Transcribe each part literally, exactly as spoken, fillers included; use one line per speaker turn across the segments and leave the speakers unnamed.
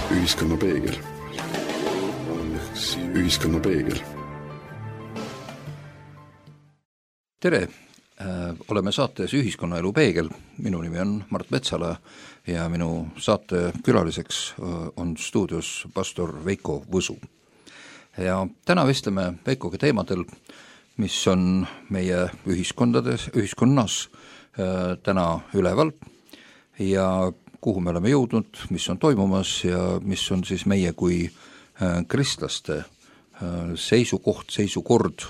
Ühiskonna peegel. Ühiskonna peegel.
Tere! Oleme saates Ühiskonnaelu peegel. Minu nimi on Mart Metsala ja minu saate külaliseks on stuudios pastor Veiko Võsu. Ja täna vestleme Veikoga teemadel, mis on meie ühiskondades, ühiskonnas täna üleval ja kuhu me oleme jõudnud, mis on toimumas ja mis on siis meie kui kristlaste seisukoht, seisukord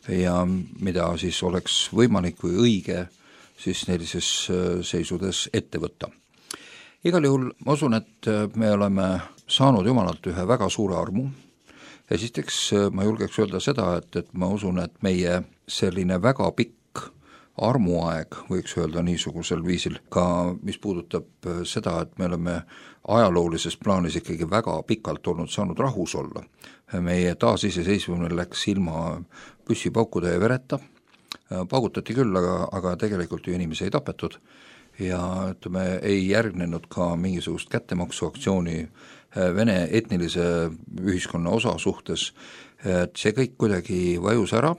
ja mida siis oleks võimalik või õige siis sellises seisudes ette võtta. Igal juhul ma usun, et me oleme saanud Jumalalt ühe väga suure armu. Esiteks ma julgeks öelda seda, et, et ma usun, et meie selline väga pikk armuaeg, võiks öelda niisugusel viisil, ka mis puudutab seda, et me oleme ajaloolises plaanis ikkagi väga pikalt olnud saanud rahus olla. Meie taasiseseisvumine läks ilma püssipaukude ja vereta, paugutati küll, aga, aga tegelikult ju inimesi ei tapetud ja ütleme, ei järgnenud ka mingisugust kättemaksuaktsiooni Vene etnilise ühiskonna osa suhtes, et see kõik kuidagi vajus ära,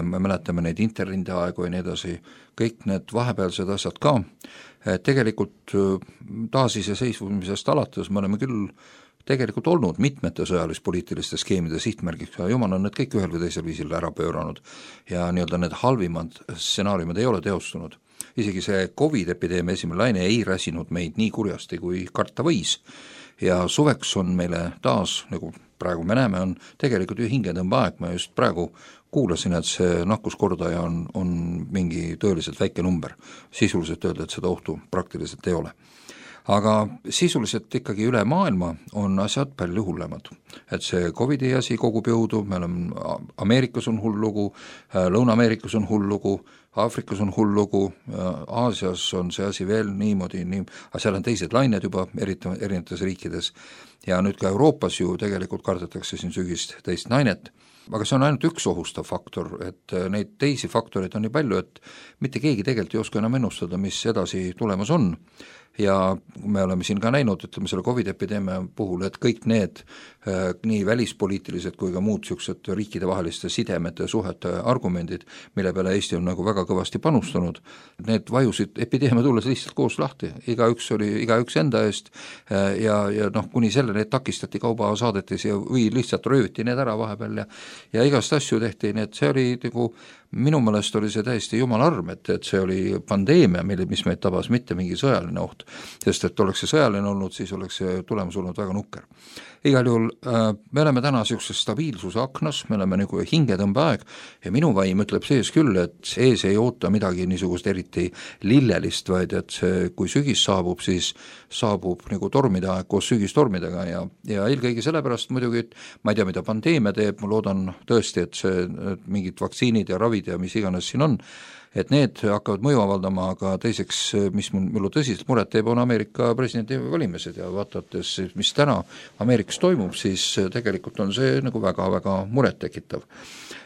me mäletame neid interrinde aegu ja nii edasi, kõik need vahepealsed asjad ka, tegelikult taasiseseisvumisest alates me oleme küll tegelikult olnud mitmete sõjalis-poliitiliste skeemide sihtmärgiks ja Jumal on need kõik ühel või teisel viisil ära pööranud ja nii-öelda need halvimad stsenaariumid ei ole teostunud. Isegi see COVID-epideemia esimene laine ei räsinud meid nii kurjasti, kui karta võis ja suveks on meile taas, nagu praegu me näeme, on tegelikult ju hingetõmbeaeg, ma just praegu kuulasin, et see nakkuskordaja on, on mingi tõeliselt väike number, sisuliselt öelda, et seda ohtu praktiliselt ei ole. Aga sisuliselt ikkagi üle maailma on asjad palju hullemad. Et see COVID-i asi kogub jõudu, me oleme, Ameerikas on hull lugu, Lõuna-Ameerikas on hull lugu, Aafrikas on hull lugu, Aasias on see asi veel niimoodi, nii, aga seal on teised lained juba eriti, erinevates riikides ja nüüd ka Euroopas ju tegelikult kardetakse siin sügist teist lainet. Aga see on ainult üks ohustav faktor, et neid teisi faktoreid on nii palju, et mitte keegi tegelikult ei oska enam ennustada, mis edasi tulemas on. Ja me oleme siin ka näinud, ütleme selle COVID-epideemia puhul, et kõik need äh, nii välispoliitilised kui ka muud siuksed riikide vaheliste sidemete, suhete argumendid, mille peale Eesti on nagu väga kõvasti panustanud, need vajusid epideemia tulles lihtsalt koos lahti, igaüks oli igaüks enda eest äh, ja, ja noh, kuni selle need takistati kauba saadetis ja või lihtsalt rööviti need ära vahepeal ja, ja igast asju tehti, nii et see oli nagu minu meelest oli see täiesti jumala arm, et, et see oli pandeemia, mille, mis meid tabas, mitte mingi sõjaline oht, sest et oleks see sõjaline olnud, siis oleks see tulemus olnud väga nukker. Igal juhul äh, me oleme täna niisuguses stabiilsuse aknas, me oleme nagu hingetõmbeaeg ja minu vaim ütleb sees küll, et ees ei oota midagi niisugust eriti lillelist, vaid et see, kui sügis saabub, siis saabub nagu tormide aeg koos sügistormidega ja, ja eelkõige sellepärast muidugi, et ma ei tea, mida pandeemia teeb, ma loodan tõesti, et see et mingid vaktsiinid ja ravid ja mis iganes siin on, et need hakkavad mõju avaldama, aga teiseks, mis mul tõsiselt muret teeb, on Ameerika presidendi valimised ja vaadates, mis täna Ameerikas toimub, siis tegelikult on see nagu väga-väga muret tekitav.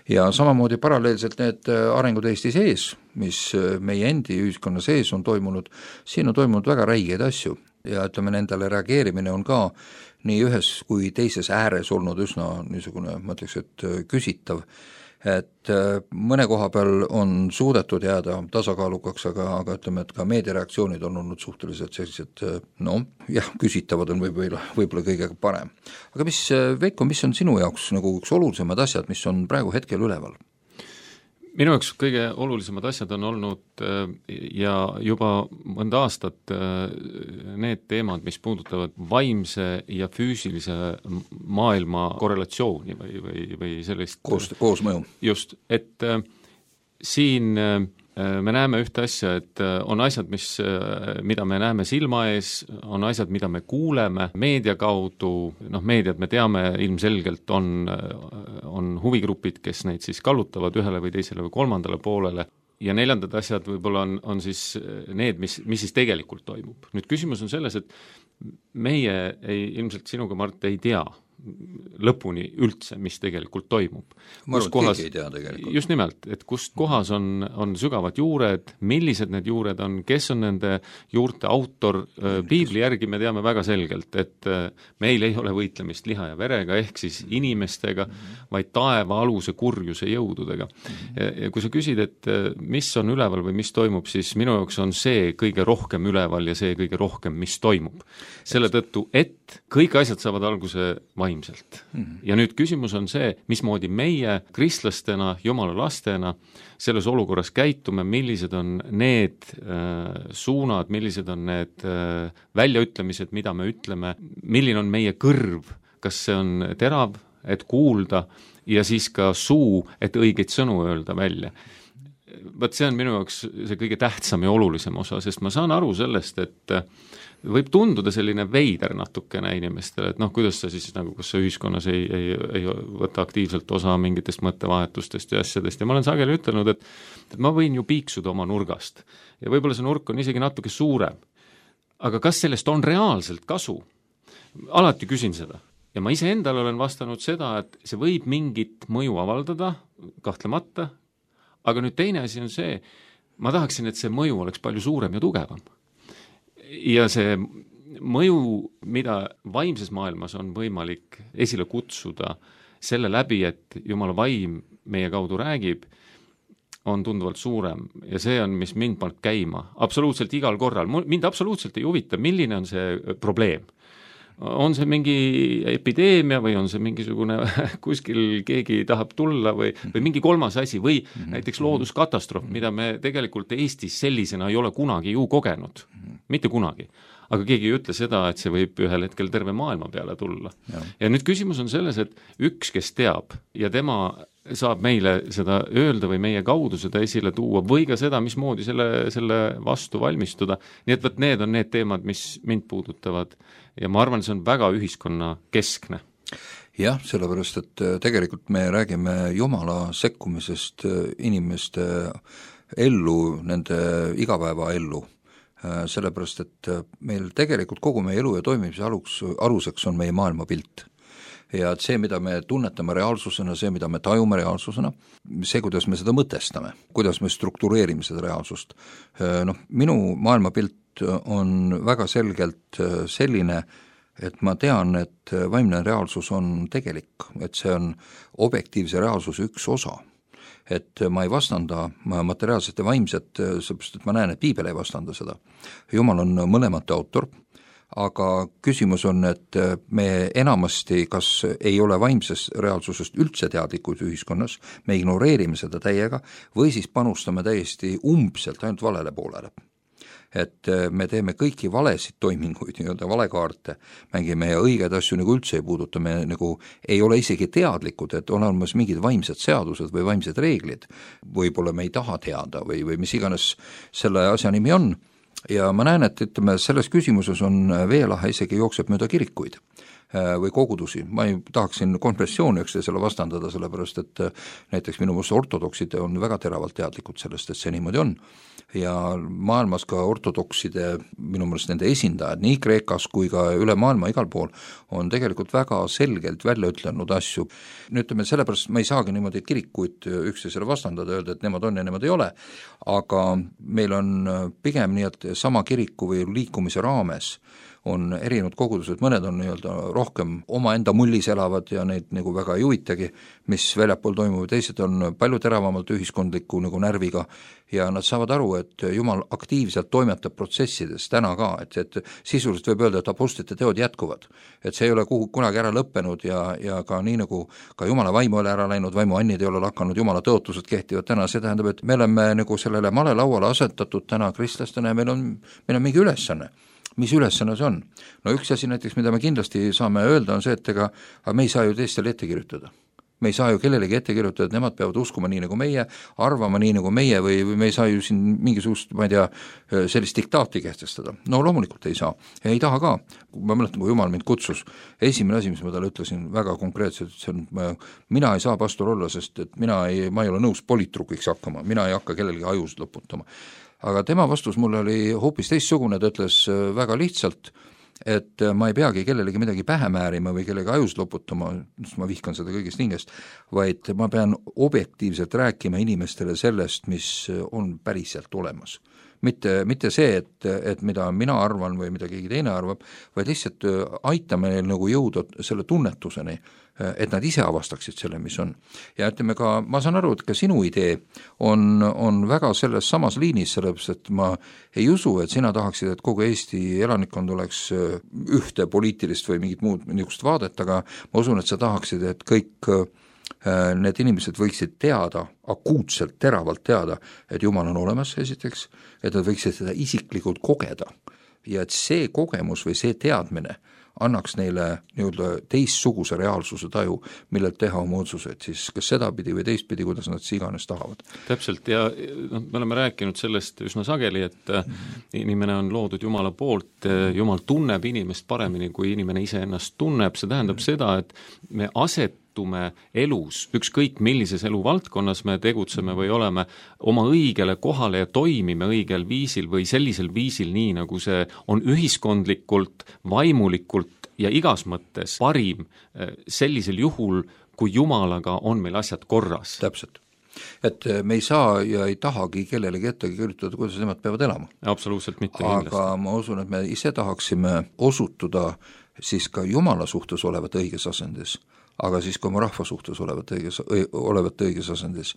Ja samamoodi paralleelselt need arengud Eesti sees, mis meie endi ühiskonna sees on toimunud, siin on toimunud väga räigeid asju ja ütleme, nendele reageerimine on ka nii ühes kui teises ääres olnud üsna niisugune, ma ütleks, et küsitav, et mõne koha peal on suudetud jääda tasakaalukaks, aga, aga ütleme, et ka meediareaktsioonid on olnud suhteliselt sellised, no jah, küsitavad on võib-olla, võib-olla kõige parem. Aga mis, Veiko, mis on sinu jaoks nagu üks olulisemad asjad, mis on praegu hetkel üleval?
Minu jaoks kõige olulisemad asjad on olnud ja juba mõnda aastat need teemad, mis puudutavad vaimse ja füüsilise maailma korrelatsiooni või, või, või sellist
koos, koosmõju.
Just, et siin me näeme ühte asja, et on asjad, mis, mida me näeme silma ees, on asjad, mida me kuuleme meedia kaudu, noh meediad me teame ilmselgelt on, on huvigrupid, kes neid siis kallutavad ühele või teisele või kolmandale poolele ja neljandad asjad võib-olla on, on siis need, mis, mis siis tegelikult toimub. Nüüd küsimus on selles, et meie ei, ilmselt sinuga, Mart, ei tea, lõpuni üldse, mis tegelikult toimub.
ma arvan, et keegi ei tea tegelikult.
Just nimelt, et kust kohas on, on sügavad juured, millised need juured on, kes on nende juurte autor, piibli järgi me teame väga selgelt, et meil ei ole võitlemist liha ja verega, ehk siis inimestega, vaid taeva aluse kurjuse jõududega. Ja, ja kui sa küsid, et mis on üleval või mis toimub, siis minu jaoks on see kõige rohkem üleval ja see kõige rohkem, mis toimub. Selle tõttu, et kõik asjad saavad alguse vaimselt. Ja nüüd küsimus on see, mismoodi meie kristlastena, jumala lastena selles olukorras käitume, millised on need äh, suunad, millised on need äh, väljaütlemised, mida me ütleme, milline on meie kõrv, kas see on terav, et kuulda, ja siis ka suu, et õigeid sõnu öelda välja. Vaat see on minu jaoks see kõige tähtsam ja olulisem osa, sest ma saan aru sellest, et võib tunduda selline veider natukene inimestele, et noh, kuidas sa siis nagu, kas sa ühiskonnas ei, ei, ei võta aktiivselt osa mingitest mõttevahetustest ja asjadest ja ma olen sageli ütelnud, et, et ma võin ju piiksuda oma nurgast ja võib-olla see nurk on isegi natuke suurem. Aga kas sellest on reaalselt kasu? Alati küsin seda. Ja ma ise endale olen vastanud seda, et see võib mingit mõju avaldada, kahtlemata, aga nüüd teine asi on see, ma tahaksin, et see mõju oleks palju suurem ja tugevam. Ja see mõju, mida vaimses maailmas on võimalik esile kutsuda selle läbi, et Jumala vaim meie kaudu räägib, on tunduvalt suurem ja see on, mis mind paneb käima absoluutselt igal korral. Mind absoluutselt ei huvita, milline on see probleem. On see mingi epideemia või on see mingisugune kuskil keegi tahab tulla või, või mingi kolmas asi või näiteks looduskatastroof, mida me tegelikult Eestis sellisena ei ole kunagi ju kogenud. Mitte kunagi. Aga keegi ei ütle seda, et see võib ühel hetkel terve maailma peale tulla. Ja, ja nüüd küsimus on selles, et üks, kes teab ja tema saab meile seda öelda või meie kaudu seda esile tuua või ka seda, mismoodi selle, selle vastu valmistuda. Nii et võt, need on need teemad, mis mind puudutavad ja ma arvan, see on väga ühiskonna keskne.
Jah, sellepärast, et tegelikult me räägime Jumala sekkumisest inimeste ellu, nende igapäeva ellu. Sellepärast, et meil tegelikult kogu meie elu ja toimimise aluks, aluseks on meie maailmapilt. Ja et see, mida me tunnetame reaalsusena, see, mida me tajume reaalsusena, see, kuidas me seda mõtestame, kuidas me struktureerime seda reaalsust. Noh, minu maailmapilt on väga selgelt selline, et ma tean, et vaimne reaalsus on tegelik, et see on objektiivse reaalsuse üks osa. Et ma ei vastanda materiaalset ja vaimset, sellepärast, et ma näen, et piibel ei vastanda seda. Jumal on mõlemate autor, aga küsimus on, et me enamasti kas ei ole vaimsest reaalsusest üldse teadlikud ühiskonnas, me ignoreerime seda täiega või siis panustame täiesti umbselt ainult valele poolele. Et me teeme kõiki valesid toiminguid, nii-öelda valekaarte, mängime ja õigeid asju nagu üldse ei puuduta, me nagu ei ole isegi teadlikud, et on olemas mingid vaimsed seadused või vaimsed reeglid, võib-olla me ei taha teada või, või mis iganes selle asja nimi on. Ja ma näen, et ütleme, selles küsimuses on veelahe isegi jookseb mööda kirikuid või kogudusi. Ma ei tahaksin konfessiooni üksteisele vastandada, sellepärast et näiteks minu meelest ortodoksid on väga teravalt teadlikud sellest, et see niimoodi on. Ja maailmas ka ortodokside, minu meelest nende esindajad nii Kreekas kui ka üle maailma igal pool on tegelikult väga selgelt välja ütlenud asju. Nüüd ütleme, sellepärast ma ei saagi niimoodi kirikuid üksteisele vastandada, öelda, et nemad on ja nemad ei ole, aga meil on pigem nii, et sama kiriku või liikumise raames on erinevad kogudused, mõned on nii-öelda rohkem omaenda mullis elavad ja neid nagu väga ei huvitagi, mis väljapool toimub, teised on palju teravamalt ühiskondliku nagu närviga ja nad saavad aru, et Jumal aktiivselt toimetab protsessides täna ka, et, et sisuliselt võib öelda, et apostlite teod jätkuvad. Et see ei ole kuhu, kunagi ära lõppenud ja, ja ka nii nagu ka Jumala vaimu ole ära läinud, vaimu annid ei ole lakanud, Jumala tõotused kehtivad täna, see tähendab, et me oleme nagu sellele malelauale asetatud täna kristlastena ja meil on, meil on mingi ülesanne. Mis ülesanne see on? No üks asi näiteks, mida me kindlasti saame öelda, on see, et ega me ei saa ju teistele ette kirjutada. Me ei saa ju kellelegi ette kirjutada, et nemad peavad uskuma nii nagu meie, arvama nii nagu meie või, või me ei saa ju siin mingisugust, ma ei tea, sellist diktaati kehtestada. No loomulikult ei saa. Ja ei taha ka. Ma mäletan, kui Jumal mind kutsus, esimene asi, mis ma talle ütlesin väga konkreetselt, see on, mina ei saa pastor olla, sest et mina ei, ma ei ole nõus politrukiks hakkama, mina ei hakka kellelegi ajusid lõputama. Aga tema vastus mulle oli hoopis teistsugune, ta ütles väga lihtsalt, et ma ei peagi kellelegi midagi pähe määrima või kellegi ajus loputama, sest ma vihkan seda kõigest hingest, vaid ma pean objektiivselt rääkima inimestele sellest, mis on päriselt olemas. Mitte, mitte see, et, et mida mina arvan või mida keegi teine arvab, vaid lihtsalt aitame neil nagu jõuda selle tunnetuseni, et nad ise avastaksid selle, mis on. Ja ütleme ka, ma saan aru, et ka sinu idee on, on väga selles samas liinis, sellepärast et ma ei usu, et sina tahaksid, et kogu Eesti elanikkond oleks ühte poliitilist või mingit muud niisugust vaadet, aga ma usun, et sa tahaksid, et kõik need inimesed võiksid teada, akuutselt, teravalt teada, et Jumal on olemas esiteks, et nad võiksid seda isiklikult kogeda ja et see kogemus või see teadmine annaks neile nii-öelda teistsuguse reaalsuse taju, millelt teha oma otsuseid, siis kas sedapidi või teistpidi, kuidas nad siis iganes tahavad.
Täpselt, ja no, me oleme rääkinud sellest üsna sageli, et mm-hmm. inimene on loodud Jumala poolt, Jumal tunneb inimest paremini, kui inimene ise ennast tunneb, see tähendab mm-hmm. seda, et me aset elus, ükskõik millises eluvaldkonnas me tegutseme või oleme oma õigele kohale ja toimime õigel viisil või sellisel viisil nii, nagu see on ühiskondlikult, vaimulikult ja igas mõttes parim sellisel juhul, kui Jumalaga on meil asjad korras.
Täpselt. Et me ei saa ja ei tahagi kellelegi ette kirjutada, kuidas nemad peavad elama.
Absoluutselt mitte.
Aga ma usun, et me ise tahaksime osutuda siis ka Jumala suhtes olevat õiges asendis, aga siis ka oma rahva suhtes olevat õiges, olevat õiges asendis.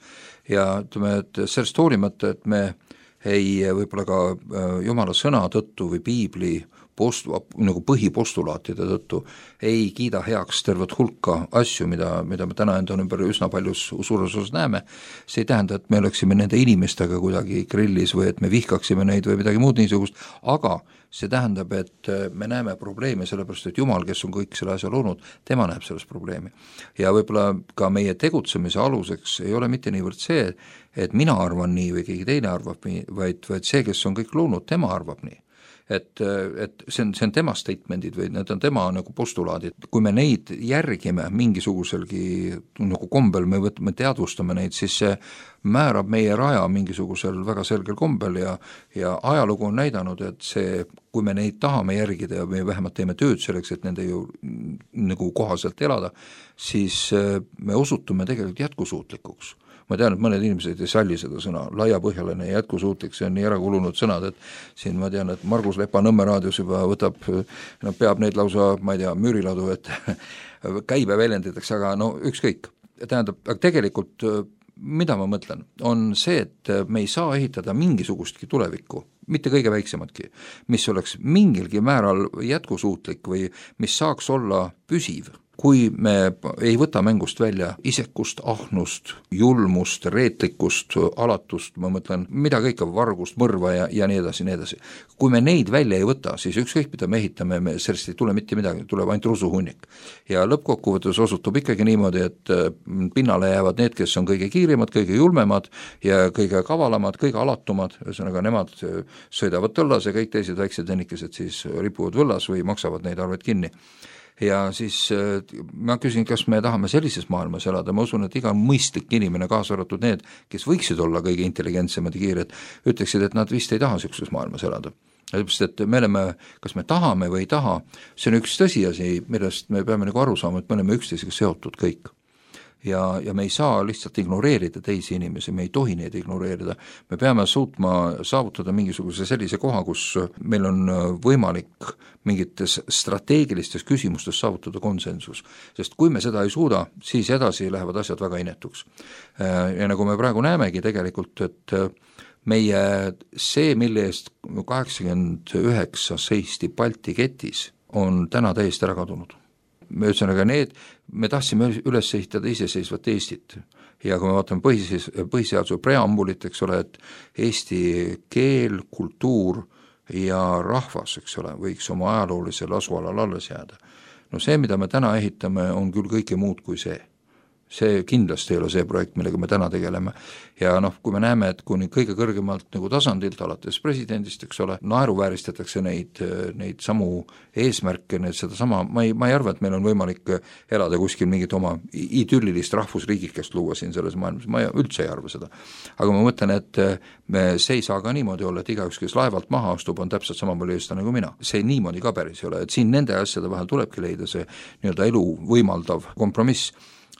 Ja ütleme, et sellest hoolimata, et me ei võib-olla ka Jumala sõna tõttu või piibli post, nagu põhipostulaatide tõttu ei kiida heaks tervet hulka asju, mida, mida me täna enda ümber üsna paljus suures osas näeme, see ei tähenda, et me oleksime nende inimestega kuidagi grillis või et me vihkaksime neid või midagi muud niisugust, aga see tähendab, et me näeme probleeme, sellepärast et Jumal, kes on kõik selle asja loonud, tema näeb selles probleemi. Ja võib-olla ka meie tegutsemise aluseks ei ole mitte niivõrd see, et mina arvan nii või keegi teine arvab nii, vaid, vaid see, kes on kõik loonud, tema arvab nii. Et, et see on, see on tema statementid või need on tema nagu postulaadid. Kui me neid järgime mingisuguselgi nagu kombel, me võtame, teadvustame neid, siis see määrab meie raja mingisugusel väga selgel kombel ja, ja ajalugu on näidanud, et see, kui me neid tahame järgida ja me vähemalt teeme tööd selleks, et nende ju nagu kohaselt elada, siis me osutume tegelikult jätkusuutlikuks. Ma tean, et mõned inimesed ei salli seda sõna, laiapõhjaline ja jätkusuutlik, see on nii ära kulunud sõnad, et siin ma tean, et Margus Lepa Nõmme raadios juba võtab, no peab neid lausa, ma ei tea, müüriladu, et käibe väljenditakse, aga no ükskõik. Tähendab, aga tegelikult mida ma mõtlen, on see, et me ei saa ehitada mingisugustki tulevikku, mitte kõige väiksematki, mis oleks mingilgi määral jätkusuutlik või mis saaks olla püsiv, kui me ei võta mängust välja isekust, ahnust, julmust, reetlikkust, alatust, ma mõtlen, mida kõike, vargust, mõrva ja, ja nii edasi, nii edasi. Kui me neid välja ei võta, siis ükskõik, mida me ehitame, me sellest ei tule mitte midagi, tuleb ainult rusuhunnik. Ja lõppkokkuvõttes osutub ikkagi niimoodi, et pinnale jäävad need, kes on kõige kiirimad, kõige julmemad ja kõige kavalamad, kõige alatumad, ühesõnaga nemad sõidavad tõllas ja kõik teised väiksed vennikesed siis ripuvad võllas või maksavad neid arved kinni. Ja siis ma küsin, kas me tahame sellises maailmas elada, ma usun, et iga mõistlik inimene, kaasa arvatud need, kes võiksid olla kõige intelligentsemad ja kiired, ütleksid, et nad vist ei taha sellises maailmas elada. Sellepärast, et me oleme, kas me tahame või ei taha, see on üks tõsiasi, millest me peame nagu aru saama, et me oleme üksteisega seotud kõik. Ja, ja me ei saa lihtsalt ignoreerida teisi inimesi, me ei tohi neid ignoreerida, me peame suutma saavutada mingisuguse sellise koha, kus meil on võimalik mingites strateegilistes küsimustes saavutada konsensus, sest kui me seda ei suuda, siis edasi lähevad asjad väga inetuks. Ja nagu me praegu näemegi tegelikult, et meie see, mille eest kaheksakümmend üheksa seisti Balti ketis, on täna täiesti ära kadunud. Me ühesõnaga need, me tahtsime üles ehitada iseseisvat Eestit ja kui me vaatame põhiseis, põhiseaduse preambulit, eks ole, et Eesti keel, kultuur ja rahvas, eks ole, võiks oma ajaloolisel asualal alles jääda. No see, mida me täna ehitame, on küll kõike muud kui see. see kindlasti ei ole see projekt, millega me täna tegeleme. Ja noh, kui me näeme, et kuni kõige kõrgemalt nagu tasandilt, alates presidendist, eks ole, naeruvääristatakse neid, neid samu eesmärke, need seda sama, ma ei, ma ei arva, et meil on võimalik elada kuskil mingit oma idüllilist rahvusriigikest luua siin selles maailmas, ma üldse ei arva seda. Aga ma mõtlen, et me, see ei saa ka niimoodi olla, et igaüks, kes laevalt maha astub, on täpselt sama palju eestlane kui mina. See niimoodi ka päris ei ole, et siin nende asjade vahel tulebki leida see nii-öelda elu võimaldav kompromiss.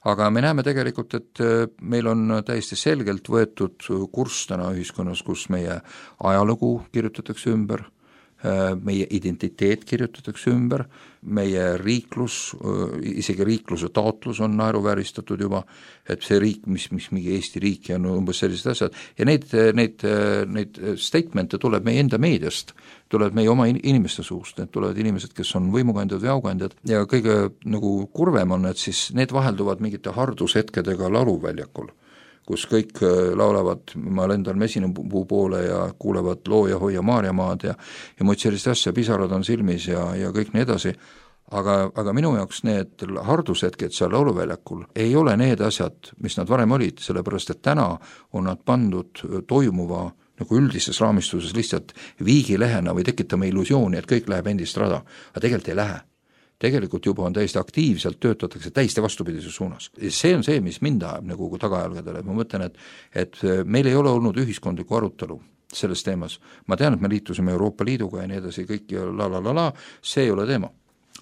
Aga me näeme tegelikult, et meil on täiesti selgelt võetud kurss täna ühiskonnas, kus meie ajalugu kirjutatakse ümber, meie identiteet kirjutatakse ümber, meie riiklus, isegi riikluse taotlus on naeruvääristatud juba, et see riik, mis, mis mingi Eesti riik ja no umbes sellised asjad, ja neid, neid, neid statemente tuleb meie enda meediast, tulevad meie oma inimeste suust, need tulevad inimesed, kes on võimukandjad või aukandjad, ja kõige nagu kurvem on, et siis need vahelduvad mingite hardushetkedega lauluväljakul, kus kõik laulavad, ma lendan mesinapuu poole ja kuulevad loo ja hoia Maarjamaad ja, ja muid sellist asja, pisarad on silmis ja, ja kõik nii edasi, aga, aga minu jaoks need hardushetked seal lauluväljakul ei ole need asjad, mis nad varem olid, sellepärast et täna on nad pandud toimuva nagu üldises raamistuses lihtsalt viigilehena või tekitame illusiooni, et kõik läheb endist rada, aga tegelikult ei lähe. Tegelikult juba on täiesti aktiivselt töötatakse täiesti vastupidises suunas. See on see, mis mind ajab nagu tagajalgadele, ma mõtlen, et, et meil ei ole olnud ühiskondlikku arutelu selles teemas. Ma tean, et me liitusime Euroopa Liiduga ja nii edasi, kõik ja la la la la, see ei ole teema.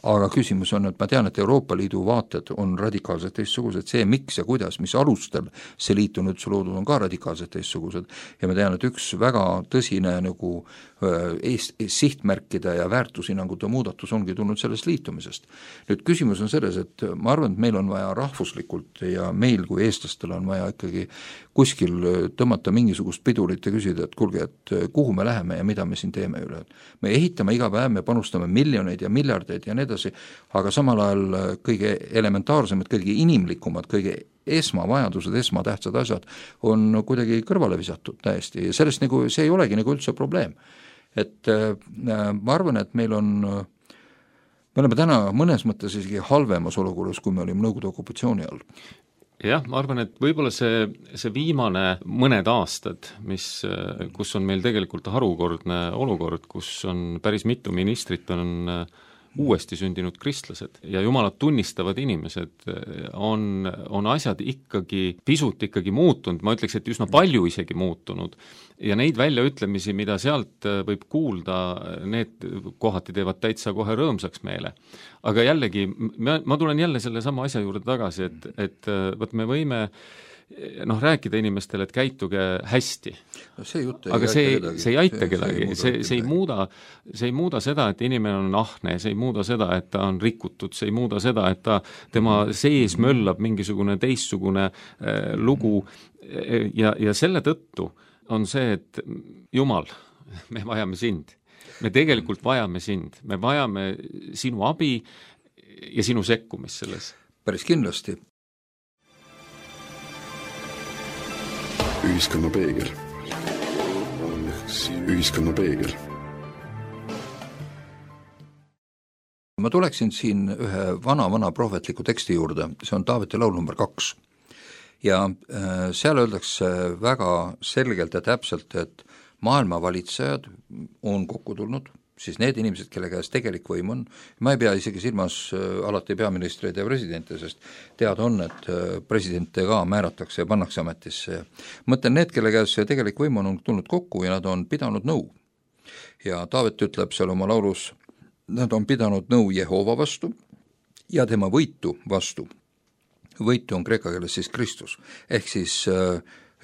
Aga küsimus on, et ma tean, et Euroopa Liidu vaated on radikaalselt teistsugused, see miks ja kuidas, mis alustel see liit on üldse loodud, on ka radikaalselt teistsugused ja ma tean, et üks väga tõsine nagu eest, sihtmärkide ja väärtushinnangute muudatus ongi tulnud sellest liitumisest. Nüüd küsimus on selles, et ma arvan, et meil on vaja rahvuslikult ja meil kui eestlastel on vaja ikkagi kuskil tõmmata mingisugust pidurit ja küsida, et kuulge, et kuhu me läheme ja mida me siin teeme üle. Me ehitame iga päev, me panustame miljoneid ja miljardeid ja need edasi, aga samal ajal kõige elementaarsemad, kõige inimlikumad, kõige esmavajadused, esmatähtsad asjad on kuidagi kõrvale visatud täiesti ja sellest nagu, see ei olegi nagu üldse probleem. Et äh, ma arvan, et meil on, me oleme täna mõnes mõttes isegi halvemas olukorras, kui me olime Nõukogude okupatsiooni all.
Jah, ma arvan, et võib-olla see, see viimane mõned aastad, mis, kus on meil tegelikult harukordne olukord, kus on päris mitu ministrit on uuesti sündinud kristlased ja jumalat tunnistavad inimesed, on, on asjad ikkagi pisut ikkagi muutunud, ma ütleks, et üsna palju isegi muutunud. Ja neid väljaütlemisi, mida sealt võib kuulda, need kohati teevad täitsa kohe rõõmsaks meele. Aga jällegi, ma, ma tulen jälle selle sama asja juurde tagasi, et, et võt me võime noh, rääkida inimestele, et käituge hästi.
No see jutt ei
aga see,
kedagi.
see ei aita see, kedagi,
see,
see, see, ei muuda, see ei muuda seda, et inimene on ahne, see ei muuda seda, et ta on rikutud, see ei muuda seda, et ta, tema sees möllab mingisugune teistsugune äh, lugu ja, ja selle tõttu on see, et Jumal, me vajame sind. Me tegelikult vajame sind, me vajame sinu abi ja sinu sekkumist selles.
Päris kindlasti.
Ühiskonna peegel. Ühiskonna peegel.
Ma tuleksin siin ühe vana-vana prohvetliku teksti juurde, see on Taaveti laul number kaks. Ja äh, seal öeldakse väga selgelt ja täpselt, et maailma valitsejad on kokku tulnud, siis need inimesed, kelle käes tegelik võim on, ma ei pea isegi silmas alati peaministreid ja presidente, sest teada on, et presidente ka määratakse ja pannakse ametisse. Mõtlen need, kelle käes tegelik võim on tulnud kokku ja nad on pidanud nõu. Ja Taavet ütleb seal oma laulus, nad on pidanud nõu Jehova vastu ja tema võitu vastu. Võitu on kreeka keeles siis Kristus, ehk siis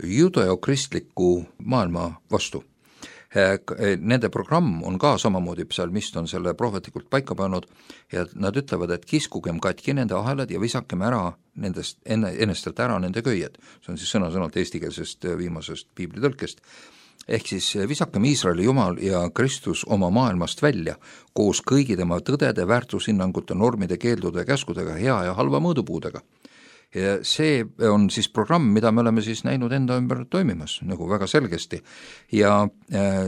judeokristliku maailma vastu. Nende programm on ka samamoodi, psalmist on selle prohvetlikult paika pannud ja nad ütlevad, et kiskugem katki nende ahelad ja visakem ära nendest, enne, ennestelt ära nende köied. See on siis sõna-sõnalt eestikeelsest viimasest piiblitõlkest. Ehk siis visakem Iisraeli Jumal ja Kristus oma maailmast välja koos kõigi tema tõdede, väärtushinnangute, normide, keeldude ja käskudega, hea ja halva mõõdupuudega. ja see on siis programm, mida me oleme siis näinud enda ümber toimimas nagu väga selgesti ja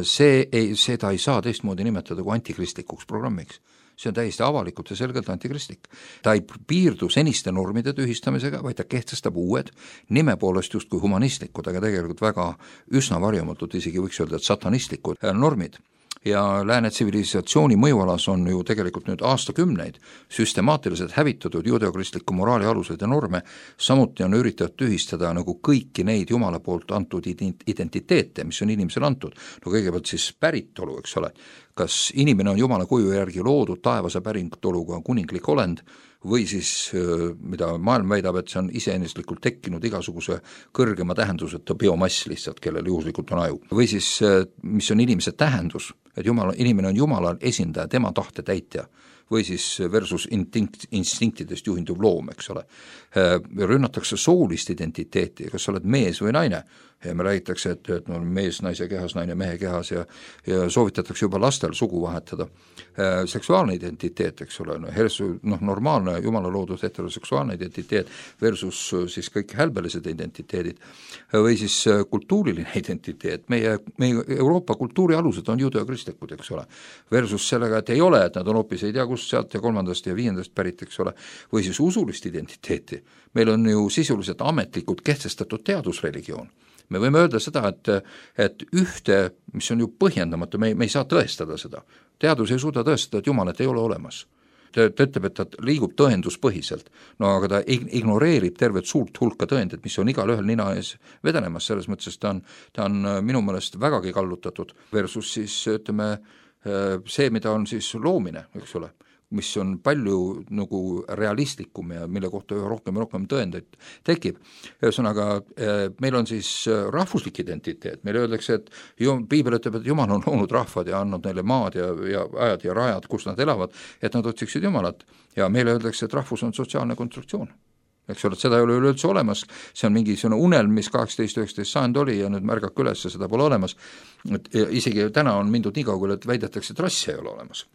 see ei, seda ei saa teistmoodi nimetada kui antikristlikuks programmiks. See on täiesti avalikult ja selgelt antikristlik. Ta ei piirdu seniste normide tühistamisega, vaid ta kehtestab uued, nime poolest justkui humanistlikud, aga tegelikult väga üsna varjamatult, isegi võiks öelda, et satanistlikud normid. Ja lääne tsivilisatsiooni mõjualas on ju tegelikult nüüd aastakümneid süstemaatiliselt hävitatud juudeokristliku moraali aluseid ja norme, samuti on üritatud tühistada nagu kõiki neid Jumala poolt antud identiteete, mis on inimesele antud. No kõigepealt siis päritolu, eks ole, kas inimene on Jumala kuju järgi loodud taevase päritoluga kuninglik olend, või siis, mida maailm väidab, et see on iseeneslikult tekkinud igasuguse kõrgema tähenduseta biomass lihtsalt, kellel juhuslikult on aju. Või siis, mis on inimese tähendus, et Jumala, inimene on Jumala esindaja, tema tahte täitja, või siis versus instinkt, instinktidest juhinduv loom, eks ole. Rünnatakse soolist identiteeti, kas sa oled mees või naine, ja me räägitakse, et, et no, mees naise kehas, naine mehe kehas ja, ja soovitatakse juba lastel sugu vahetada. Seksuaalne identiteet, eks ole, no, hersu, noh, normaalne Jumala loodud heteroseksuaalne identiteet versus siis kõik hälbelised identiteedid või siis kultuuriline identiteet, meie, meie Euroopa kultuuri alused on juudeokristlikud, eks ole, versus sellega, et ei ole, et nad on hoopis ei tea kust, sealt ja kolmandast ja viiendast pärit, eks ole, või siis usulist identiteeti. Meil on ju sisuliselt ametlikult kehtestatud teadusreligioon. Me võime öelda seda, et, et ühte, mis on ju põhjendamatu, me ei, me ei saa tõestada seda. Teadus ei suuda tõestada, et Jumalat ei ole olemas. Ta, ta ütleb, et ta liigub tõenduspõhiselt, no aga ta ignoreerib tervet suurt hulka tõendeid, mis on igal ühel nina ees vedenemas, selles mõttes ta on, ta on minu meelest vägagi kallutatud versus siis ütleme see, mida on siis loomine, eks ole, mis on palju nagu realistlikum ja mille kohta üha rohkem ja rohkem tõendeid tekib. Ühesõnaga, meil on siis rahvuslik identiteet, meile öeldakse, et Piibel ütleb, et Jumal on loonud rahvad ja andnud neile maad ja, ja ajad ja rajad, kus nad elavad, et nad otsiksid Jumalat ja meile öeldakse, et rahvus on sotsiaalne konstruktsioon. Eks ole, et seda ei ole üleüldse olemas, see on mingi unelm, mis kaheksateist üheksateist sajand oli ja nüüd märgake üles, seda pole olemas. Et isegi täna on mindud nii kaugele, et väidetakse, et rassi ei ole olemas.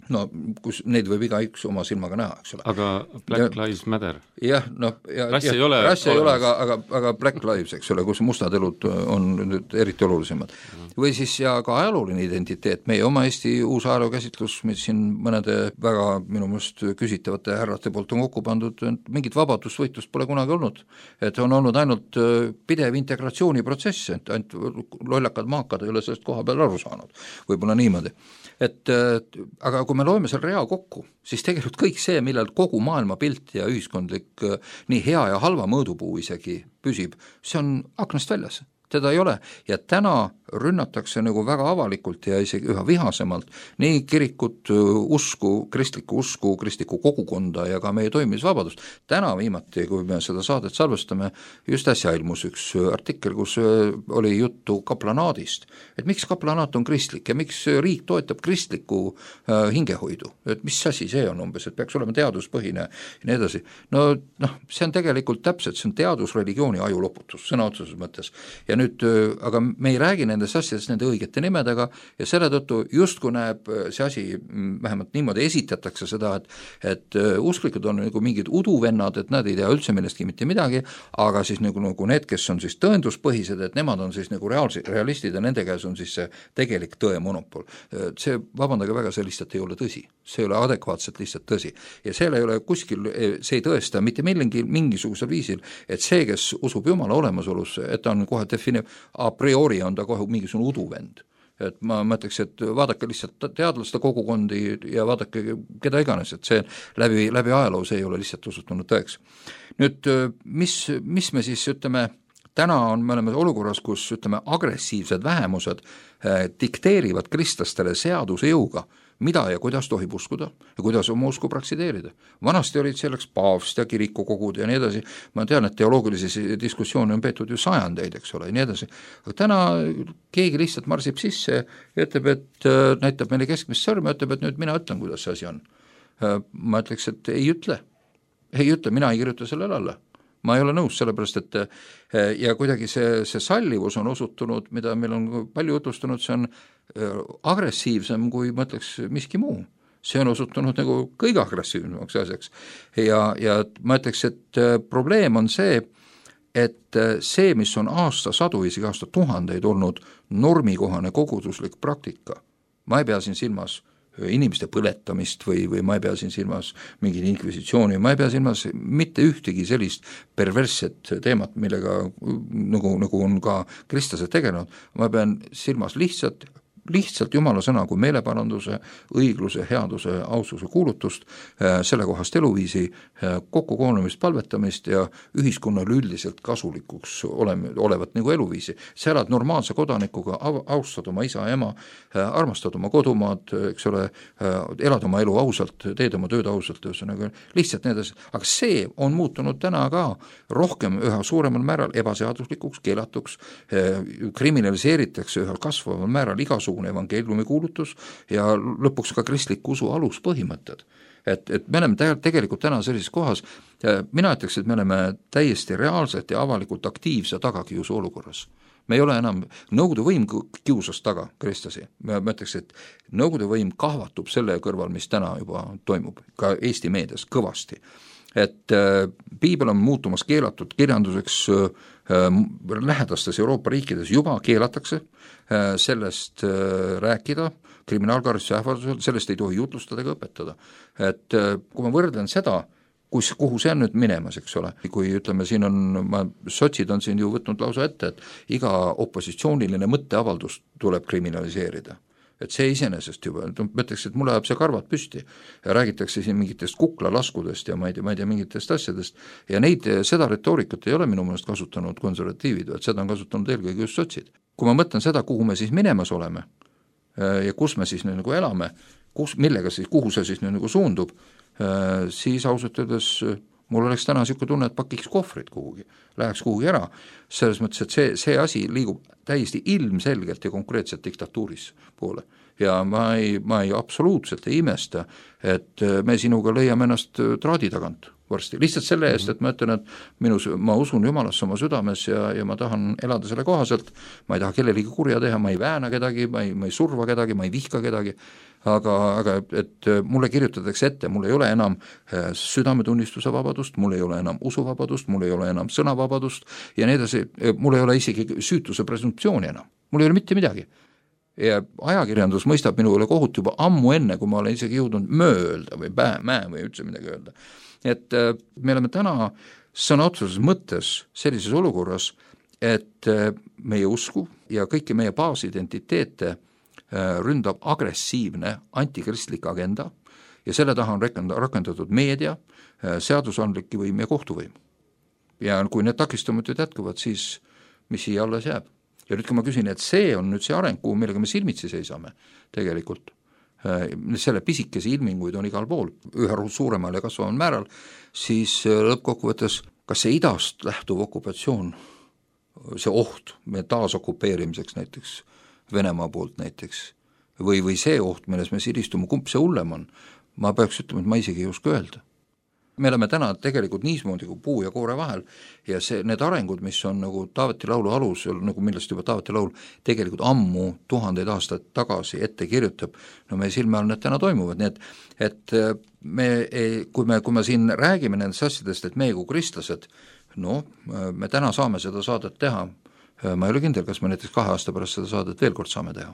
No, kus neid võib iga üks oma silmaga näha, eks ole.
Aga Black ja, Lives Matter?
Jah, no, ja,
rassi
ja,
ei ole,
rassi ei ole aga, aga, aga Black Lives, eks ole, kus mustad elud on nüüd eriti olulisemad. Mm. Või siis ja ka ajalooline identiteet, meie oma Eesti uus ajalookäsitlus, mis siin mõnede väga minu mõist küsitavate härrate poolt on kokku pandud, mingit vabadusvõitlust pole kunagi olnud. Et on olnud ainult pidev integratsiooniprotsess, et ainult lollakad maakad ei ole sellest koha peal aru saanud, võib-olla niimoodi. Et, aga kui me loeme seal rea kokku, siis tegelikult kõik see, millel kogu maailma pilt ja ühiskondlik nii hea ja halva mõõdupuu isegi püsib, see on aknast väljas, teda ei ole ja täna rünnatakse nagu väga avalikult ja isegi üha vihasemalt nii kirikut, usku, kristlikku usku, kristlikku kogukonda ja ka meie toimimisvabadust. Täna viimati, kui me seda saadet salvestame, just äsja ilmus üks artikkel, kus oli juttu kaplanaadist, et miks kaplanaat on kristlik ja miks riik toetab kristlikku äh, hingehoidu, et mis asi see on umbes, et peaks olema teaduspõhine ja nii edasi. No, noh, see on tegelikult täpselt, see on teadusreligiooni ajuloputus, sõna otseses mõttes. Ja nüüd, aga me ei räägi nendest asjadest nende õigete nimedega ja selle tõttu justkui näeb see asi, vähemalt niimoodi esitatakse seda, et, et usklikud on nagu mingid uduvennad, et nad ei tea üldse millestki mitte midagi, aga siis nagu, nagu need, kes on siis tõenduspõhised, et nemad on siis nagu reaalsi, realistid ja nende käes on siis see tegelik tõe monopol. See, vabandage väga, see lihtsalt ei ole tõsi. See ei ole adekvaatselt lihtsalt tõsi. Ja seal ei ole kuskil, see ei tõesta mitte millegi mingisugusel viisil, et see, kes usub Jumala olemasolusse, et ta on kohe defineeriv, a priori on ta kohe mingisugune uduvend. Et ma mõtleks, et vaadake lihtsalt teadlaste kogukondi ja vaadake keda iganes, et see läbi, läbi ajaloo see ei ole lihtsalt osutunud tõeks. Nüüd, mis, mis me siis ütleme, täna on, me oleme olukorras, kus ütleme, agressiivsed vähemused eh, dikteerivad kristlastele seaduse jõuga, mida ja kuidas tohib uskuda ja kuidas oma usku praksideerida. Vanasti olid selleks paavst ja kirikukogud ja nii edasi, ma tean, et teoloogilisi diskussioone on peetud ju sajandeid, eks ole, ja nii edasi, aga täna keegi lihtsalt marsib sisse ja ütleb, et näitab meile keskmist sõrme, ütleb, et nüüd mina ütlen, kuidas see asi on. Ma ütleks, et ei ütle, ei ütle, mina ei kirjuta sellele alla. Ma ei ole nõus, sellepärast, et ja kuidagi see, see sallivus on osutunud, mida meil on palju jutlustunud, see on agressiivsem kui ma ütleks miski muu. see on osutunud nagu kõige agressiivsemaks asjaks. ja, ja ma ütleks, et probleem on see, et see, mis on aastasadu, isegi aastatuhandeid olnud normikohane koguduslik praktika, ma ei pea siin silmas inimeste põletamist või, või ma ei pea siin silmas mingit inkvisitsiooni, ma ei pea silmas mitte ühtegi sellist perversset teemat, millega nagu, nagu on ka kristlased tegelenud, ma pean silmas lihtsalt lihtsalt Jumala sõna kui meeleparanduse, õigluse, headuse, aususe kuulutust, sellekohast eluviisi, kokkukoonumist, palvetamist ja ühiskonnale üldiselt kasulikuks oleme, olevat nagu eluviisi. Sa elad normaalse kodanikuga, austad oma isa ja ema, armastad oma kodumaad, eks ole, elad oma elu ausalt, teed oma tööd ausalt, ühesõnaga lihtsalt need asjad, aga see on muutunud täna ka rohkem üha suuremal määral ebaseaduslikuks, keelatuks, kriminaliseeritakse ühel kasvaval määral igasugune evangeeliumi kuulutus ja lõpuks ka kristliku usu aluspõhimõtted. Et, et me oleme tegelikult täna sellises kohas, mina ütleks, et me oleme täiesti reaalselt ja avalikult aktiivse tagakiusu olukorras. Me ei ole enam, Nõukogude võim kiusas taga kristlasi, ma ütleks, et Nõukogude võim kahvatub selle kõrval, mis täna juba toimub, ka Eesti meedias kõvasti. Et äh, piibel on muutumas keelatud kirjanduseks äh, lähedastes Euroopa riikides juba keelatakse äh, sellest äh, rääkida, kriminaalkaristuse ähvardusel, sellest ei tohi jutlustada ega õpetada. Et äh, kui ma võrdlen seda, kus, kuhu see on nüüd minemas, eks ole, kui ütleme, siin on, ma, sotsid on siin ju võtnud lausa ette, et iga opositsiooniline mõtteavaldus tuleb kriminaliseerida. Et see iseenesest juba, ma ütleks, et mulle ajab see karvad püsti ja räägitakse siin mingitest kuklalaskudest ja ma ei tea, ma ei tea mingitest asjadest ja neid, seda retoorikat ei ole minu meelest kasutanud konservatiivid, et seda on kasutanud eelkõige just sotsid. Kui ma mõtlen seda, kuhu me siis minemas oleme ja kus me siis nagu elame, kus, millega siis, kuhu see siis nagu suundub, siis ausalt öeldes mul oleks täna niisugune tunne, et pakiks kohvrid kuhugi, läheks kuhugi ära, selles mõttes, et see, see asi liigub täiesti ilmselgelt ja konkreetselt diktatuuris poole. Ja ma ei, ma ei absoluutselt ei imesta, et me sinuga leiame ennast traadi tagant varsti. Lihtsalt selle eest, et ma ütlen, et minus, ma usun Jumalasse oma südames ja, ja ma tahan elada selle kohaselt, ma ei taha kellelegi kurja teha, ma ei vääna kedagi, ma ei, ma ei surva kedagi, ma ei vihka kedagi, aga, aga et mulle kirjutatakse ette, mul ei ole enam südametunnistuse vabadust, mul ei ole enam usuvabadust, mul ei ole enam sõnavabadust ja nii edasi, mul ei ole isegi süütuse presumptsiooni enam, mul ei ole mitte midagi. Ja ajakirjandus mõistab minu üle kohut juba ammu enne, kui ma olen isegi jõudnud möö öelda või pää, mäe või üldse midagi öelda. Et me oleme täna sõna otseses mõttes sellises olukorras, et meie usku ja kõiki meie baasidentiteete ründab agressiivne antikristlik agenda ja selle taha on rakendatud meedia, seadusandlik võim ja kohtuvõim. Ja kui need takistamatud jätkuvad, siis mis siia alles jääb? Ja nüüd, kui ma küsin, et see on nüüd see areng, kuhu millega me silmitsi seisame tegelikult, selle pisikese ilminguid on igal pool, ühe suuremal ja kasvaval määral, siis lõppkokkuvõttes, kas see idast lähtuv okupatsioon, see oht me taasokupeerimiseks näiteks, Venemaa poolt näiteks, või, või see oht, milles me siristume, kumb see hullem on, ma peaks ütlema, et ma isegi ei oska öelda. Me oleme täna tegelikult niismoodi kui puu ja koore vahel ja see, need arengud, mis on nagu Taaveti laulu alus, nagu millest juba Taaveti laul tegelikult ammu tuhandeid aastaid tagasi ette kirjutab, no meie silme all need täna toimuvad, nii et, et me, kui me, kui me siin räägime nendest asjadest, et meie kui kristlased, no me täna saame seda saadet teha, ma ei ole kindel, kas me näiteks kahe aasta pärast seda saadet veel kord saame teha.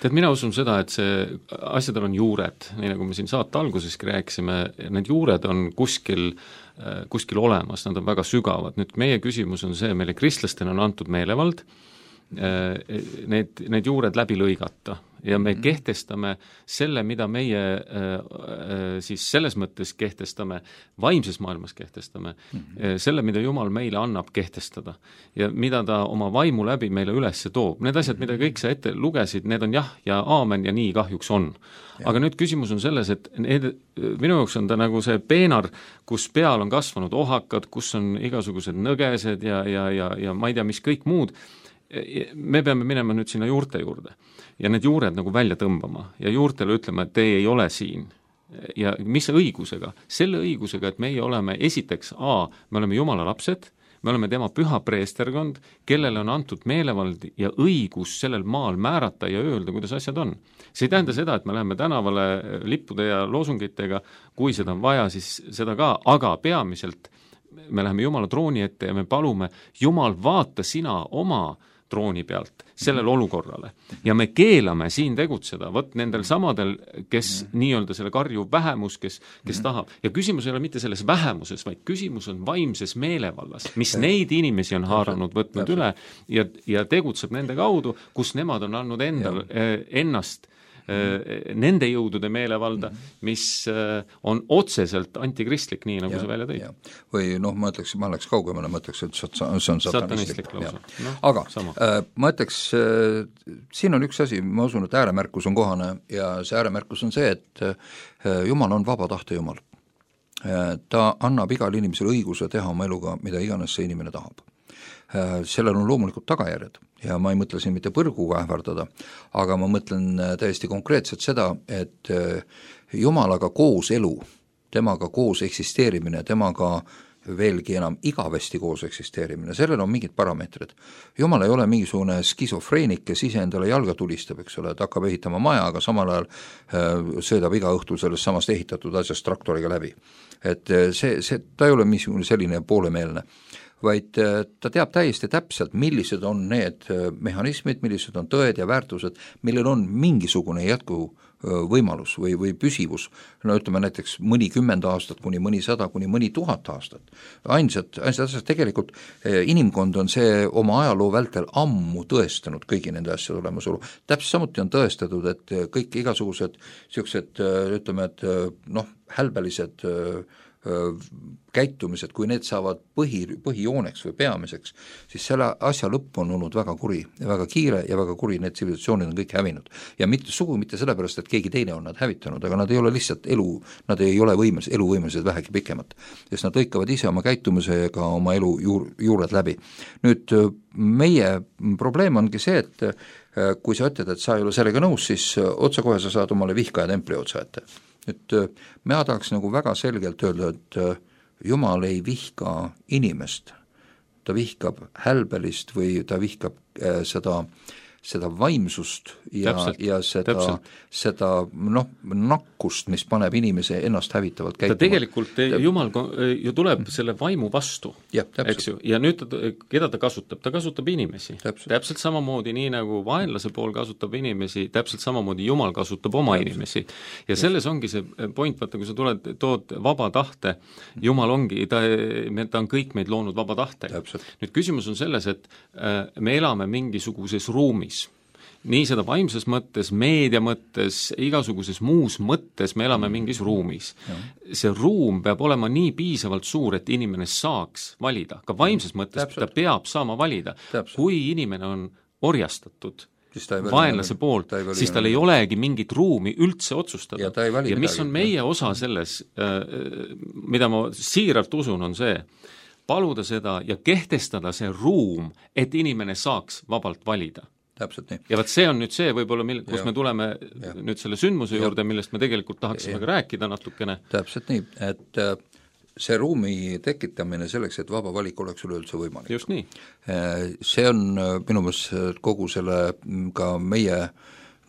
tead, mina usun seda, et see asjadel on juured, nii nagu me siin saate alguseski rääkisime, need juured on kuskil, kuskil olemas, nad on väga sügavad. Nüüd meie küsimus on see, meile kristlastena on antud meelevald, need, need juured läbi lõigata ja me kehtestame selle, mida meie siis selles mõttes kehtestame, vaimses maailmas kehtestame, selle, mida Jumal meile annab kehtestada ja mida ta oma vaimu läbi meile üles toob. Need asjad, mida kõik sa ette lugesid, need on jah ja aamen ja nii kahjuks on. Aga nüüd küsimus on selles, et need, minu jaoks on ta nagu see peenar, kus peal on kasvanud ohakad, kus on igasugused nõgesed ja, ja, ja, ja ma ei tea, mis kõik muud. Me peame minema nüüd sinna juurte juurde ja need juured nagu välja tõmbama ja juurtele ütlema, et teie ei ole siin. Ja mis õigusega? Selle õigusega, et meie oleme esiteks A, me oleme Jumala lapsed, me oleme tema püha preesterkond, kellele on antud meelevald ja õigus sellel maal määrata ja öelda, kuidas asjad on. See ei tähenda seda, et me läheme tänavale lippude ja loosungitega, kui seda on vaja, siis seda ka, aga peamiselt me läheme Jumala trooni ette ja me palume, Jumal, vaata sina oma trooni pealt sellele olukorrale. Ja me keelame siin tegutseda, võt nendel samadel, kes mm. nii-öelda selle karju vähemus, kes, kes mm. tahab. Ja küsimus ei ole mitte selles vähemuses, vaid küsimus on vaimses meelevallas, mis neid inimesi on haaranud, võtnud üle ja, ja tegutseb nende kaudu, kus nemad on andnud endal, ennast nende jõudude meelevalda, mis on otseselt antikristlik, nii nagu ja, see välja tõi.
Või noh, ma ütleks, ma oleks kaugemale, ma ütleks, et see on satanistlik.
No,
aga äh, ma ütleks, äh, siin on üks asi, ma usun, et ääremärkus on kohane ja see ääremärkus on see, et äh, Jumal on vaba tahte Jumal. Äh, ta annab igal inimesele õiguse teha oma eluga, mida iganes see inimene tahab. Äh, sellel on loomulikult tagajärjed ja ma ei mõtle siin mitte põrguga ähvardada, aga ma mõtlen täiesti konkreetselt seda, et Jumalaga koos elu, temaga koos eksisteerimine, temaga veelgi enam igavesti koos eksisteerimine, sellel on mingid parameetrid. Jumal ei ole mingisugune skisofreenik, kes ise endale jalga tulistab, eks ole, et hakkab ehitama maja, aga samal ajal söödab iga õhtul sellest samast ehitatud asjast traktoriga läbi. Et see, see, ta ei ole mingisugune selline poolemeelne, vaid ta teab täiesti täpselt, millised on need mehhanismid, millised on tõed ja väärtused, millel on mingisugune jätku võimalus või, või püsivus, no ütleme näiteks mõni kümmend aastat, kuni mõni sada, kuni mõni tuhat aastat. Ainsad, ainsad asjad tegelikult, inimkond on see oma ajaloo vältel ammu tõestanud kõigi nende asjade olemasolu. Täpselt samuti on tõestatud, et kõik igasugused siuksed, ütleme, et noh, hälbelised käitumised, kui need saavad põhi, põhijooneks või peamiseks, siis selle asja lõpp on olnud väga kuri ja väga kiire ja väga kuri, need tsivilisatsioonid on kõik hävinud. Ja mitte sugu mitte sellepärast, et keegi teine on nad hävitanud, aga nad ei ole lihtsalt elu, nad ei ole võimelised, eluvõimelised vähegi pikemat, sest nad lõikavad ise oma käitumisega oma elu juur, juured läbi. Nüüd meie probleem ongi see, et kui sa ütled, et sa ei ole sellega nõus, siis otsekohe sa saad omale vihka ja templi otsa ette. Nüüd me tahaks nagu väga selgelt öelda, et Jumal ei vihka inimest, ta vihkab hälbelist või ta vihkab äh, seda, seda vaimsust ja, ja seda, seda noh, nakkust, mis paneb inimese ennast hävitavalt käituma.
Ta tegelikult ta, Jumal ju tuleb selle vaimu vastu,
ja,
eks ju, ja nüüd ta, keda ta kasutab? Ta kasutab inimesi. Täpselt. täpselt samamoodi, nii nagu vaenlase pool kasutab inimesi, täpselt samamoodi Jumal kasutab oma täpselt. Inimesi. Ja selles ongi see point, vaata, kui sa tuled, tood vaba tahte, Jumal ongi, ta, ta on kõik meid loonud vaba tahtega. Nüüd küsimus on selles, et me elame mingisuguses ruumis, nii seda vaimses mõttes, meedia mõttes, igasuguses muus mõttes me elame mingis ruumis. See ruum peab olema nii piisavalt suur, et inimene saaks valida. Ka vaimses mõttes Täpselt. Ta peab saama valida. Täpselt. Kui inimene on orjastatud vaenlase poolt, ta siis tal ei olegi mingit ruumi üldse otsustada.
Ja, ja mis
midagi. On meie osa selles, mida ma siiralt usun, on see, paluda seda ja kehtestada see ruum, et inimene saaks vabalt valida.
Täpselt nii.
Ja vaat see on nüüd see võib-olla, mil, kus ja. Me tuleme ja. Nüüd selle sündmuse juurde, millest me tegelikult tahaksime ka rääkida natukene.
Täpselt nii, et see ruumi tekitamine selleks, et vaba valik oleks üleüldse võimalik.
Just nii.
See on minu meelest kogu selle ka meie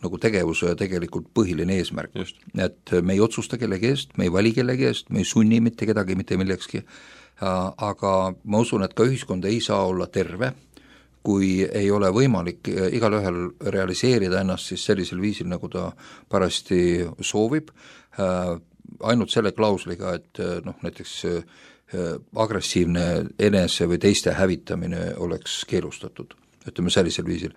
nagu tegevuse tegelikult põhiline eesmärk. Just. Et me ei otsusta kellegi eest, me ei vali kellegi eest, me ei sunni mitte kedagi, mitte millekski, aga ma usun, et ka ühiskond ei saa olla terve, kui ei ole võimalik igal ühel realiseerida ennast siis sellisel viisil, nagu ta parajasti soovib, ainult selle klausliga, et noh, näiteks agressiivne enese või teiste hävitamine oleks keelustatud, ütleme sellisel viisil.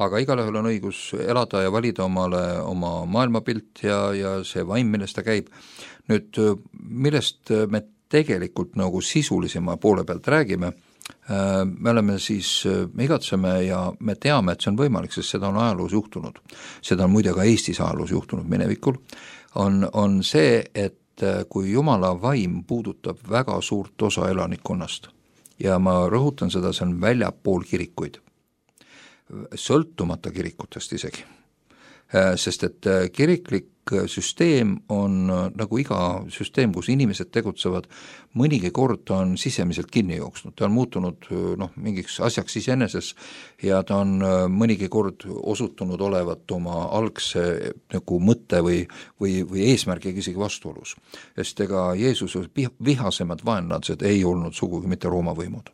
Aga igal ühel on õigus elada ja valida omale oma maailmapilt ja, ja see vaim, millest ta käib. Nüüd, millest me tegelikult nagu sisulisema poole pealt räägime, me oleme siis, me igatseme ja me teame, et see on võimalik, sest seda on ajaloos juhtunud. Seda on muide ka Eestis ajaloos juhtunud minevikul, on, on see, et kui Jumala vaim puudutab väga suurt osa elanikkonnast ja ma rõhutan seda, see on väljapool kirikuid, sõltumata kirikutest isegi, sest et kiriklik süsteem on nagu iga süsteem, kus inimesed tegutsevad, mõnigi kord on sisemiselt kinni jooksnud, ta on muutunud noh, mingiks asjaks iseeneses ja ta on mõnigi kord osutunud olevat oma algse nagu mõtte või, või, või eesmärgiga isegi vastuolus, sest ega Jeesuse vihasemad vaenlased ei olnud sugugi mitte Rooma võimud,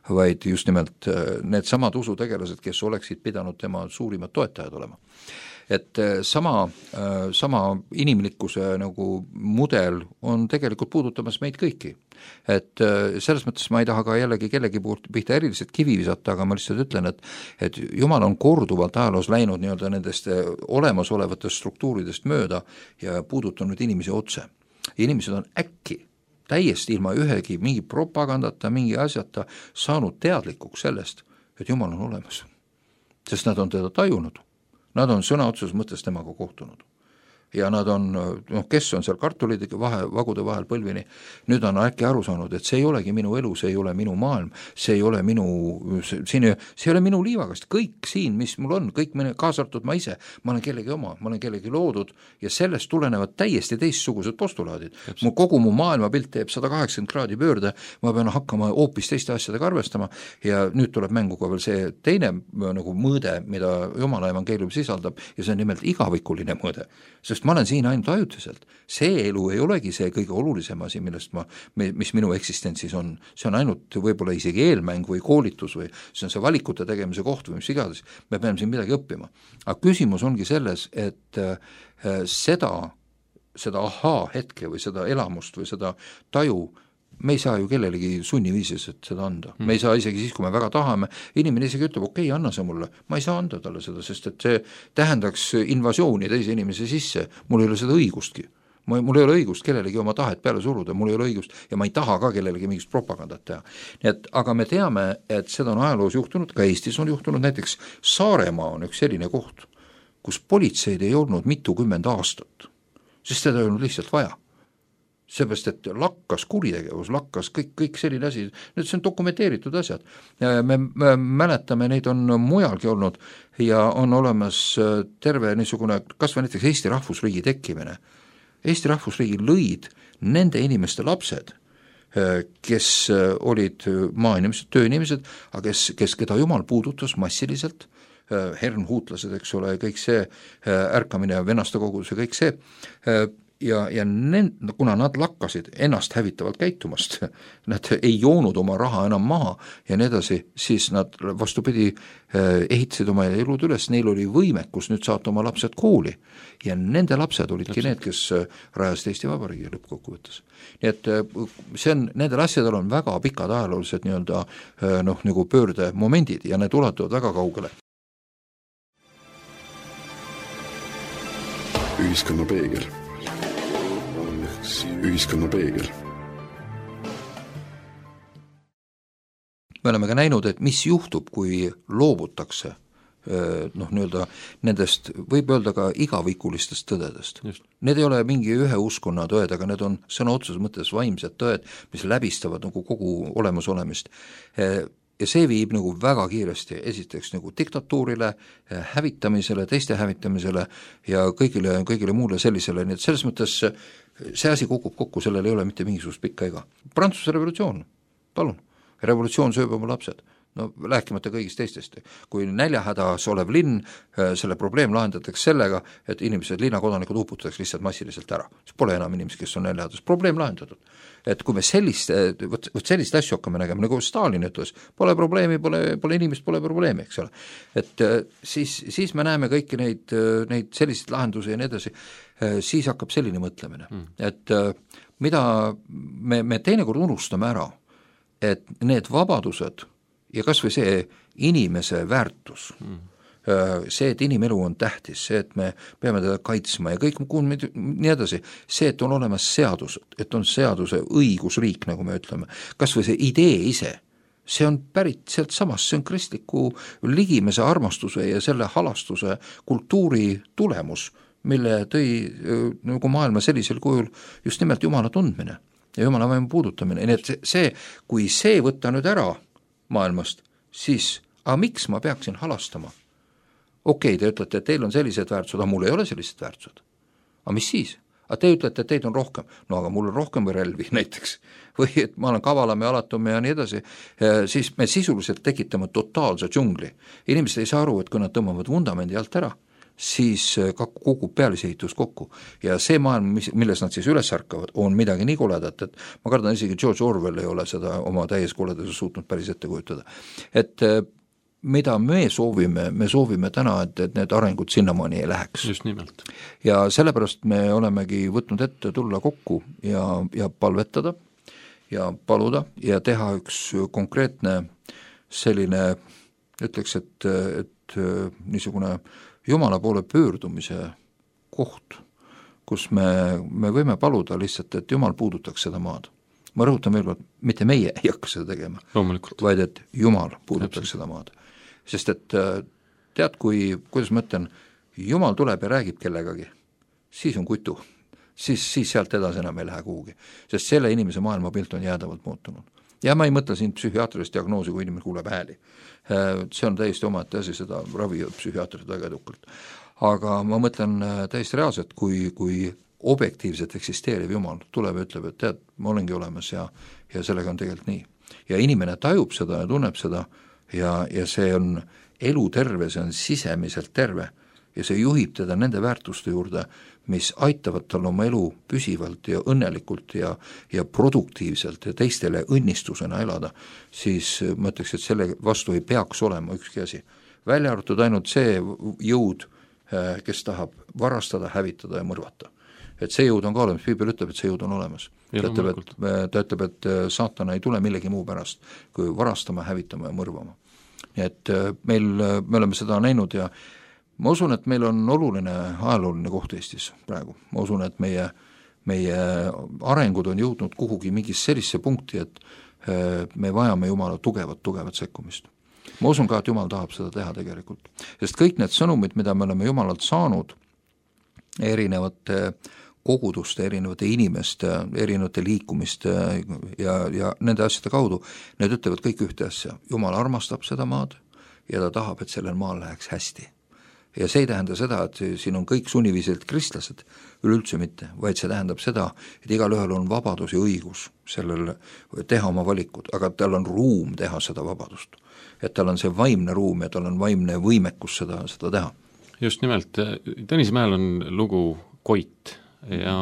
vaid just nimelt need samad usutegelased, kes oleksid pidanud tema suurimad toetajad olema. Et sama, sama inimlikkuse nagu mudel on tegelikult puudutamas meid kõiki. Et selles mõttes ma ei taha ka jällegi kellegi poolt pihta eriliselt kivi visata, aga ma lihtsalt ütlen, et, et Jumal on korduvalt ajaloos läinud nii-öelda nendest olemasolevatest struktuuridest mööda ja puudutanud inimesi otse. Inimesed on äkki täiesti ilma ühegi mingi propagandata, mingi asjata saanud teadlikuks sellest, et Jumal on olemas, sest nad on teda tajunud. Nad on sõna otseses mõttes temaga kohtunud. Ja nad on, noh, kes on seal kartulide vahe, vagude vahel põlvini, nüüd on äkki aru saanud, et see ei olegi minu elu, see ei ole minu maailm, see ei ole minu, see, see ei ole minu liivakast, kõik siin, mis mul on, kõik mine, kaasartud ma ise, ma olen kellegi oma, ma olen kellegi loodud ja sellest tulenevad täiesti teistsugused postulaadid. Mu kogu mu maailmapilt teeb sada kaheksakümmend kraadi pöörde, ma pean hakkama hoopis teiste asjadega arvestama ja nüüd tuleb mängu ka veel see teine nagu mõõde, mida Jumala evangeelium sisaldab ja see on nimelt igavikuline mõõde, sest ma olen siin ainult ajutiselt. See elu ei olegi see kõige olulisem asi, millest ma, mis minu eksistentsis on. See on ainult võib-olla isegi eelmäng või koolitus või see on see valikute tegemise koht või mis igades. Me peame siin midagi õppima. Aga küsimus ongi selles, et seda, seda ahaa hetke või seda elamust või seda taju me ei saa ju kellelegi sunniviisis, et seda anda. Me ei saa isegi siis, kui me väga tahame, inimene isegi ütleb, okei, okay, anna see mulle, ma ei saa anda talle seda, sest et see tähendaks invasiooni teise inimese sisse, mul ei ole seda õigustki. Mul ei ole õigust kellelegi oma tahet peale suruda, mul ei ole õigust ja ma ei taha ka kellelegi mingist propagandat teha. Nii et, aga me teame, et seda on ajaloos juhtunud, ka Eestis on juhtunud, näiteks Saaremaa on üks selline koht, kus politseid ei olnud mitukümmend aastat, sest seda ei olnud lihtsalt vaja. Seepärast, et lakkas kuritegevus, lakkas kõik, kõik selline asi, nüüd see on dokumenteeritud asjad. Me, me mäletame, neid on mujalgi olnud ja on olemas terve niisugune, kas või näiteks Eesti rahvusriigi tekkimine. Eesti rahvusriigi lõid nende inimeste lapsed, kes olid maainimesed, tööinimesed, aga kes, kes keda Jumal puudutas massiliselt, hernhuutlased, eks ole, kõik see ärkamine ja venaste kogudus ja kõik see, ja, ja nend, kuna nad lakkasid ennast hävitavalt käitumast, nad ei joonud oma raha enam maha ja nii edasi, siis nad vastupidi ehitasid oma elud üles, neil oli võimekus nüüd saata oma lapsed kooli ja nende lapsed olidki need, kes rajasid Eesti Vabariigi lõppkokkuvõttes. Nii et see on, nendel asjadel on väga pikad ajaloolised nii-öelda noh, nagu pöördemomendid ja need ulatuvad väga kaugele.
Ühiskonna peegel. Ühiskonna peegel.
Me oleme ka näinud, et mis juhtub, kui loobutakse noh, nii-öelda nendest, võib öelda ka igavikulistest tõdedest. Just. Need ei ole mingi ühe uskonna tõed, aga need on sõna otseses mõttes vaimsed tõed, mis läbistavad nagu kogu olemasolemist. Ja see viib nagu väga kiiresti esiteks nagu diktatuurile, hävitamisele, teiste hävitamisele ja kõigile, kõigile muule sellisele, nii et selles mõttes see asi kukub kokku, sellel ei ole mitte mingisugust pikka ega. Prantsuse revolutsioon, palun, revolutsioon sööb oma lapsed. no rääkimata kõigist teistest. Kui näljahädas olev linn, selle probleem lahendatakse sellega, et inimesed, linnakodanikud uputatakse lihtsalt massiliselt ära. See pole enam inimesi, kes on näljahädas, probleem lahendatud. Et kui me sellist, võt, võt sellist asju hakkame nägema, nagu Stalin ütles, pole probleemi, pole, pole inimest, pole probleemi, eks ole. Et siis, siis me näeme kõiki neid, neid selliseid lahendusi ja nii edasi, siis hakkab selline mõtlemine mm., et mida me, me teinekord unustame ära, et need vabadused ja kas või see inimese väärtus mm., see, et inimelu on tähtis, see, et me peame teda kaitsma ja kõik nii edasi, see, et on olemas seadused, et on seaduse õigusriik, nagu me ütleme, kas või see idee ise, see on pärit sealt samast, see on kristliku ligimese armastuse ja selle halastuse kultuuri tulemus, mille tõi nagu maailma sellisel kujul just nimelt Jumala tundmine ja Jumala vaimu puudutamine, nii et see, kui see võtta nüüd ära maailmast, siis aga miks ma peaksin halastama? Okei, te ütlete, et teil on sellised väärtused, aga mul ei ole sellised väärtused. Aga mis siis? Aga te ütlete, et teid on rohkem. No aga mul on rohkem või relvi näiteks. Või et ma olen kavalam ja alatum ja nii edasi. Siis me sisuliselt tekitame totaalse džungli. Inimesed ei saa aru, et kui nad tõmbavad vundamendi alt ära, siis kukub pealisehitus kokku. Ja see maailm, milles nad siis üles ärkavad, on midagi nii koledat, et ma kardan isegi George Orwell ei ole seda oma täies koledase suutnud päris ette kujutada. Et mida me soovime, me soovime täna, et, et need arengud sinnamaani ei läheks.
Just nimelt.
Ja sellepärast me olemegi võtnud ette tulla kokku ja, ja palvetada ja paluda ja teha üks konkreetne selline, ütleks, et, et niisugune Jumala poole pöördumise koht, kus me, me võime paluda lihtsalt, et Jumal puudutaks seda maad. Ma rõhutan veel kord, mitte meie ei hakka seda tegema,
loomulikult,
vaid et Jumal puudutaks seda maad. Sest et tead, kui, kuidas ma ütlen, Jumal tuleb ja räägib kellegagi, siis on kutu, siis, siis sealt edasi enam ei lähe kuhugi, sest selle inimese maailmapilt on jäädavalt muutunud. Ja ma ei mõtle siin psühhiaatrilist diagnoosi, kui inimene kuuleb hääli. See on täiesti omaette asi, seda ravivad psühhiaatrid väga edukalt. Aga ma mõtlen täiesti reaalselt, kui, kui objektiivselt eksisteeriv Jumal tuleb ja ütleb, et tead, ma olengi olemas ja, ja sellega on tegelikult nii. Ja inimene tajub seda ja tunneb seda ja, ja see on elu terve, see on sisemiselt terve ja see juhib teda nende väärtuste juurde, mis aitavad tal oma elu püsivalt ja õnnelikult ja, ja produktiivselt ja teistele õnnistusena elada, siis ma ütleks, et selle vastu ei peaks olema ükski asi. Välja arvatud ainult see jõud, kes tahab varastada, hävitada ja mõrvata. Et see jõud on ka olemas, Piibel ütleb, et see jõud on olemas. Ta ütleb, et, ta ütleb, et saatana ei tule millegi muu pärast, kui varastama, hävitama ja mõrvama. Nii et meil, me oleme seda näinud ja ma usun, et meil on oluline ajalooline koht Eestis praegu. Ma usun, et meie, meie arengud on jõudnud kuhugi mingis sellisse punkti, et me vajame Jumala tugevat, tugevat sekkumist. Ma usun ka, et Jumal tahab seda teha tegelikult. Sest kõik need sõnumid, mida me oleme Jumalalt saanud, erinevate koguduste, erinevate inimeste, erinevate liikumiste ja, ja nende asjade kaudu, need ütlevad kõik ühte asja. Jumal armastab seda maad ja ta tahab, et sellel maal läheks hästi. Ja see ei tähenda seda, et siin on kõik sunniviisiliselt kristlased, üleüldse mitte, vaid see tähendab seda, et igal ühel on vabadus ja õigus sellel teha oma valikud, aga tal on ruum teha seda vabadust. Et tal on see vaimne ruum ja tal on vaimne võimekus seda, seda teha.
Just nimelt, Tõnismäel on lugu Koit ja,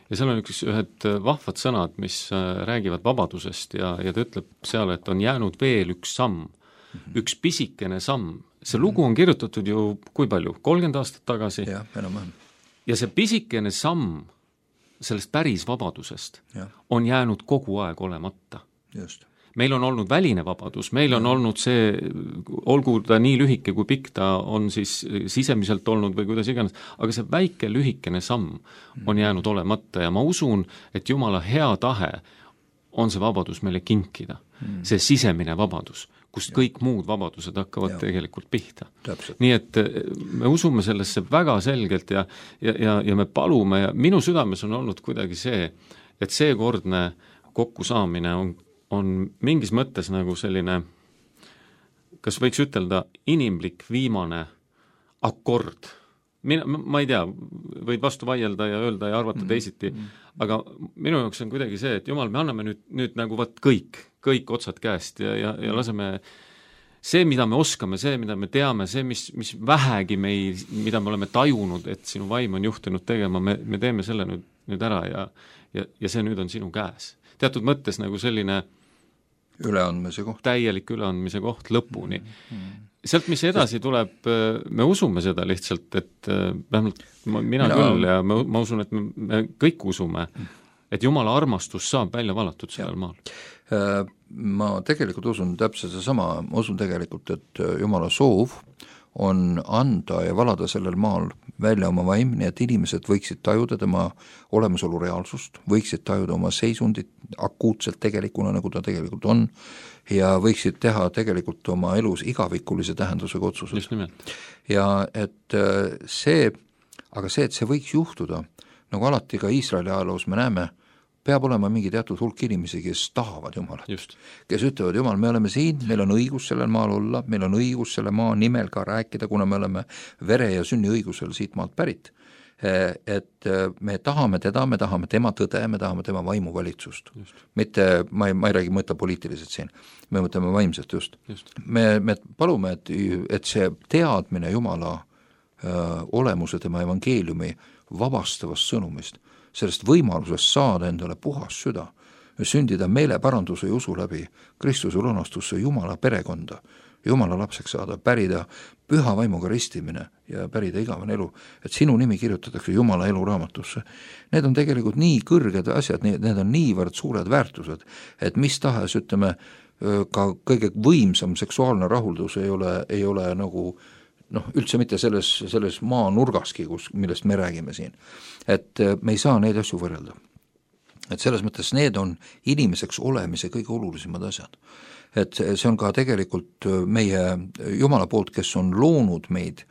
ja seal on üks, ühed vahvad sõnad, mis räägivad vabadusest ja, ja ta ütleb seal, et on jäänud veel üks samm, mm-hmm. üks pisikene samm. See lugu on kirjutatud ju kui palju? kolmkümmend aastat tagasi.
Ja, enam-vähem.
Ja see pisikene samm sellest päris vabadusest
ja.
On jäänud kogu aeg olemata.
Just.
Meil on olnud väline vabadus, meil on olnud see, olgu ta nii lühike kui pikk ta on siis sisemiselt olnud või kuidas iganes, aga see väike lühikene samm on jäänud olemata ja ma usun, et Jumala hea tahe on see vabadus meile kinkida, see sisemine vabadus, kust ja. Kõik muud vabadused hakkavad ja. Tegelikult pihta.
Täpselt.
Nii et me usume sellesse väga selgelt ja, ja, ja, ja me palume ja minu südames on olnud kuidagi see, et seekordne kokkusaamine on on mingis mõttes nagu selline, kas võiks ütelda, inimlik viimane akord. Mina, ma ei tea, võid vastu vaielda ja öelda ja arvata teisiti, aga minu jaoks on kuidagi see, et Jumal, me anname nüüd, nüüd nagu võt kõik, kõik otsad käest ja, ja, ja laseme see, mida me oskame, see, mida me teame, see, mis, mis vähegi meil, mida me oleme tajunud, et sinu vaim on juhtinud tegema, me, me teeme selle nüüd, nüüd ära ja, ja, ja see nüüd on sinu käes. Teatud mõttes nagu selline
üleandmise koht.
Täielik üleandmise koht lõpuni. Sealt, mis edasi tuleb, me usume seda lihtsalt, et vähemalt mina, mina küll ja ma, ma usun, et me, me kõik usume, et Jumala armastus saab välja valatud sellel maal.
Ma tegelikult usun täpselt seesama, ma usun tegelikult, et Jumala soov on anda ja valada sellel maal välja oma vaim, nii et inimesed võiksid tajuda tema olemasolu reaalsust, võiksid tajuda oma seisundit akuutselt tegelikuna, nagu ta tegelikult on, ja võiksid teha tegelikult oma elus igavikulise tähendusega otsused.
Just nimelt.
Ja et see, aga see, et see võiks juhtuda, nagu alati ka Iisraeli ajaloos me näeme, peab olema mingi teatud hulk inimesi, kes tahavad Jumalat.
Just.
Kes ütlevad, Jumal, me oleme siin, meil on õigus sellel maal olla, meil on õigus selle maa nimel ka rääkida, kuna me oleme vere ja sünniõigusel siit maalt pärit. Et me tahame teda, me tahame tema tõde, me tahame tema vaimuvalitsust. Just. Mitte, ma ei, ma ei räägi mõtle poliitiliselt siin, me mõtleme vaimselt just. just. Me, me palume, et, et see teadmine Jumala öö, olemuse tema evangeeliumi vabastavast sõnumist, sellest võimalusest saada endale puhas süda, sündida meeleparanduse ja usu läbi Kristuse lunastusse Jumala perekonda, Jumala lapseks saada, pärida püha vaimuga ristimine ja pärida igavene elu, et sinu nimi kirjutatakse Jumala eluraamatusse. Need on tegelikult nii kõrged asjad, need on niivõrd suured väärtused, et mis tahes, ütleme, ka kõige võimsam seksuaalne rahuldus ei ole, ei ole nagu noh, üldse mitte selles, selles maa nurgaski, kus, millest me räägime siin. Et me ei saa neid asju võrrelda. Et selles mõttes need on inimeseks olemise kõige olulisemad asjad. Et see on ka tegelikult meie Jumala poolt, kes on loonud meid,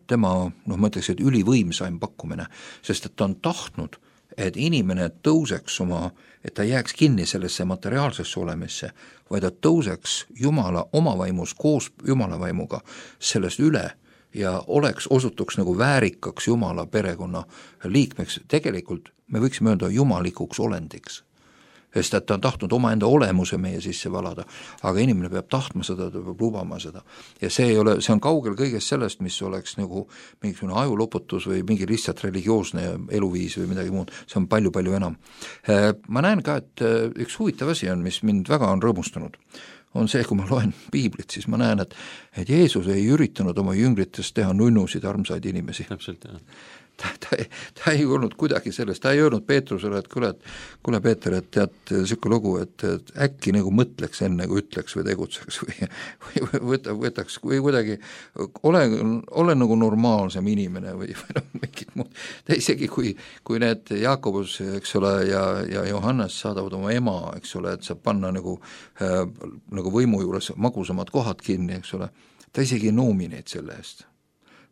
tema, noh ma ütleks, et ülivõimsaim pakkumine, sest et ta on tahtnud, et inimene tõuseks oma, et ta jääks kinni sellesse materiaalsesse olemisse, vaid ta tõuseks Jumala oma vaimus koos Jumala vaimuga sellest üle ja oleks, osutuks nagu väärikaks Jumala perekonna liikmeks. Tegelikult me võiksime öelda jumalikuks olendiks, sest et ta on tahtnud omaenda olemuse meie sisse valada, aga inimene peab tahtma seda, ta peab lubama seda. Ja see ei ole, see on kaugel kõigest sellest, mis oleks nagu mingisugune ajuloputus või mingi lihtsalt religioosne eluviis või midagi muud, see on palju-palju enam. Ma näen ka, et üks huvitav asi on, mis mind väga on rõõmustanud, on see, kui ma loen piiblit, siis ma näen, et, et Jeesus ei üritanud oma jüngritest teha nunnusid armsaid inimesi.
Täpselt, jah.
Ta, ta, ta ei olnud kuidagi sellest, ta ei öelnud Peetrusele, et kuule, kuule Peeter, et tead siuke lugu, et, et äkki nagu mõtleks enne, kui ütleks või tegutseks või, või võta, võtaks või kuidagi ole, ole nagu normaalsem inimene või, või noh, mingid muud. Ta isegi kui, kui need Jaakobus, eks ole, ja, ja Johannes saadavad oma ema, eks ole, et saab panna nagu, äh, nagu võimu juures magusamad kohad kinni, eks ole, ta isegi ei noomi neid selle eest.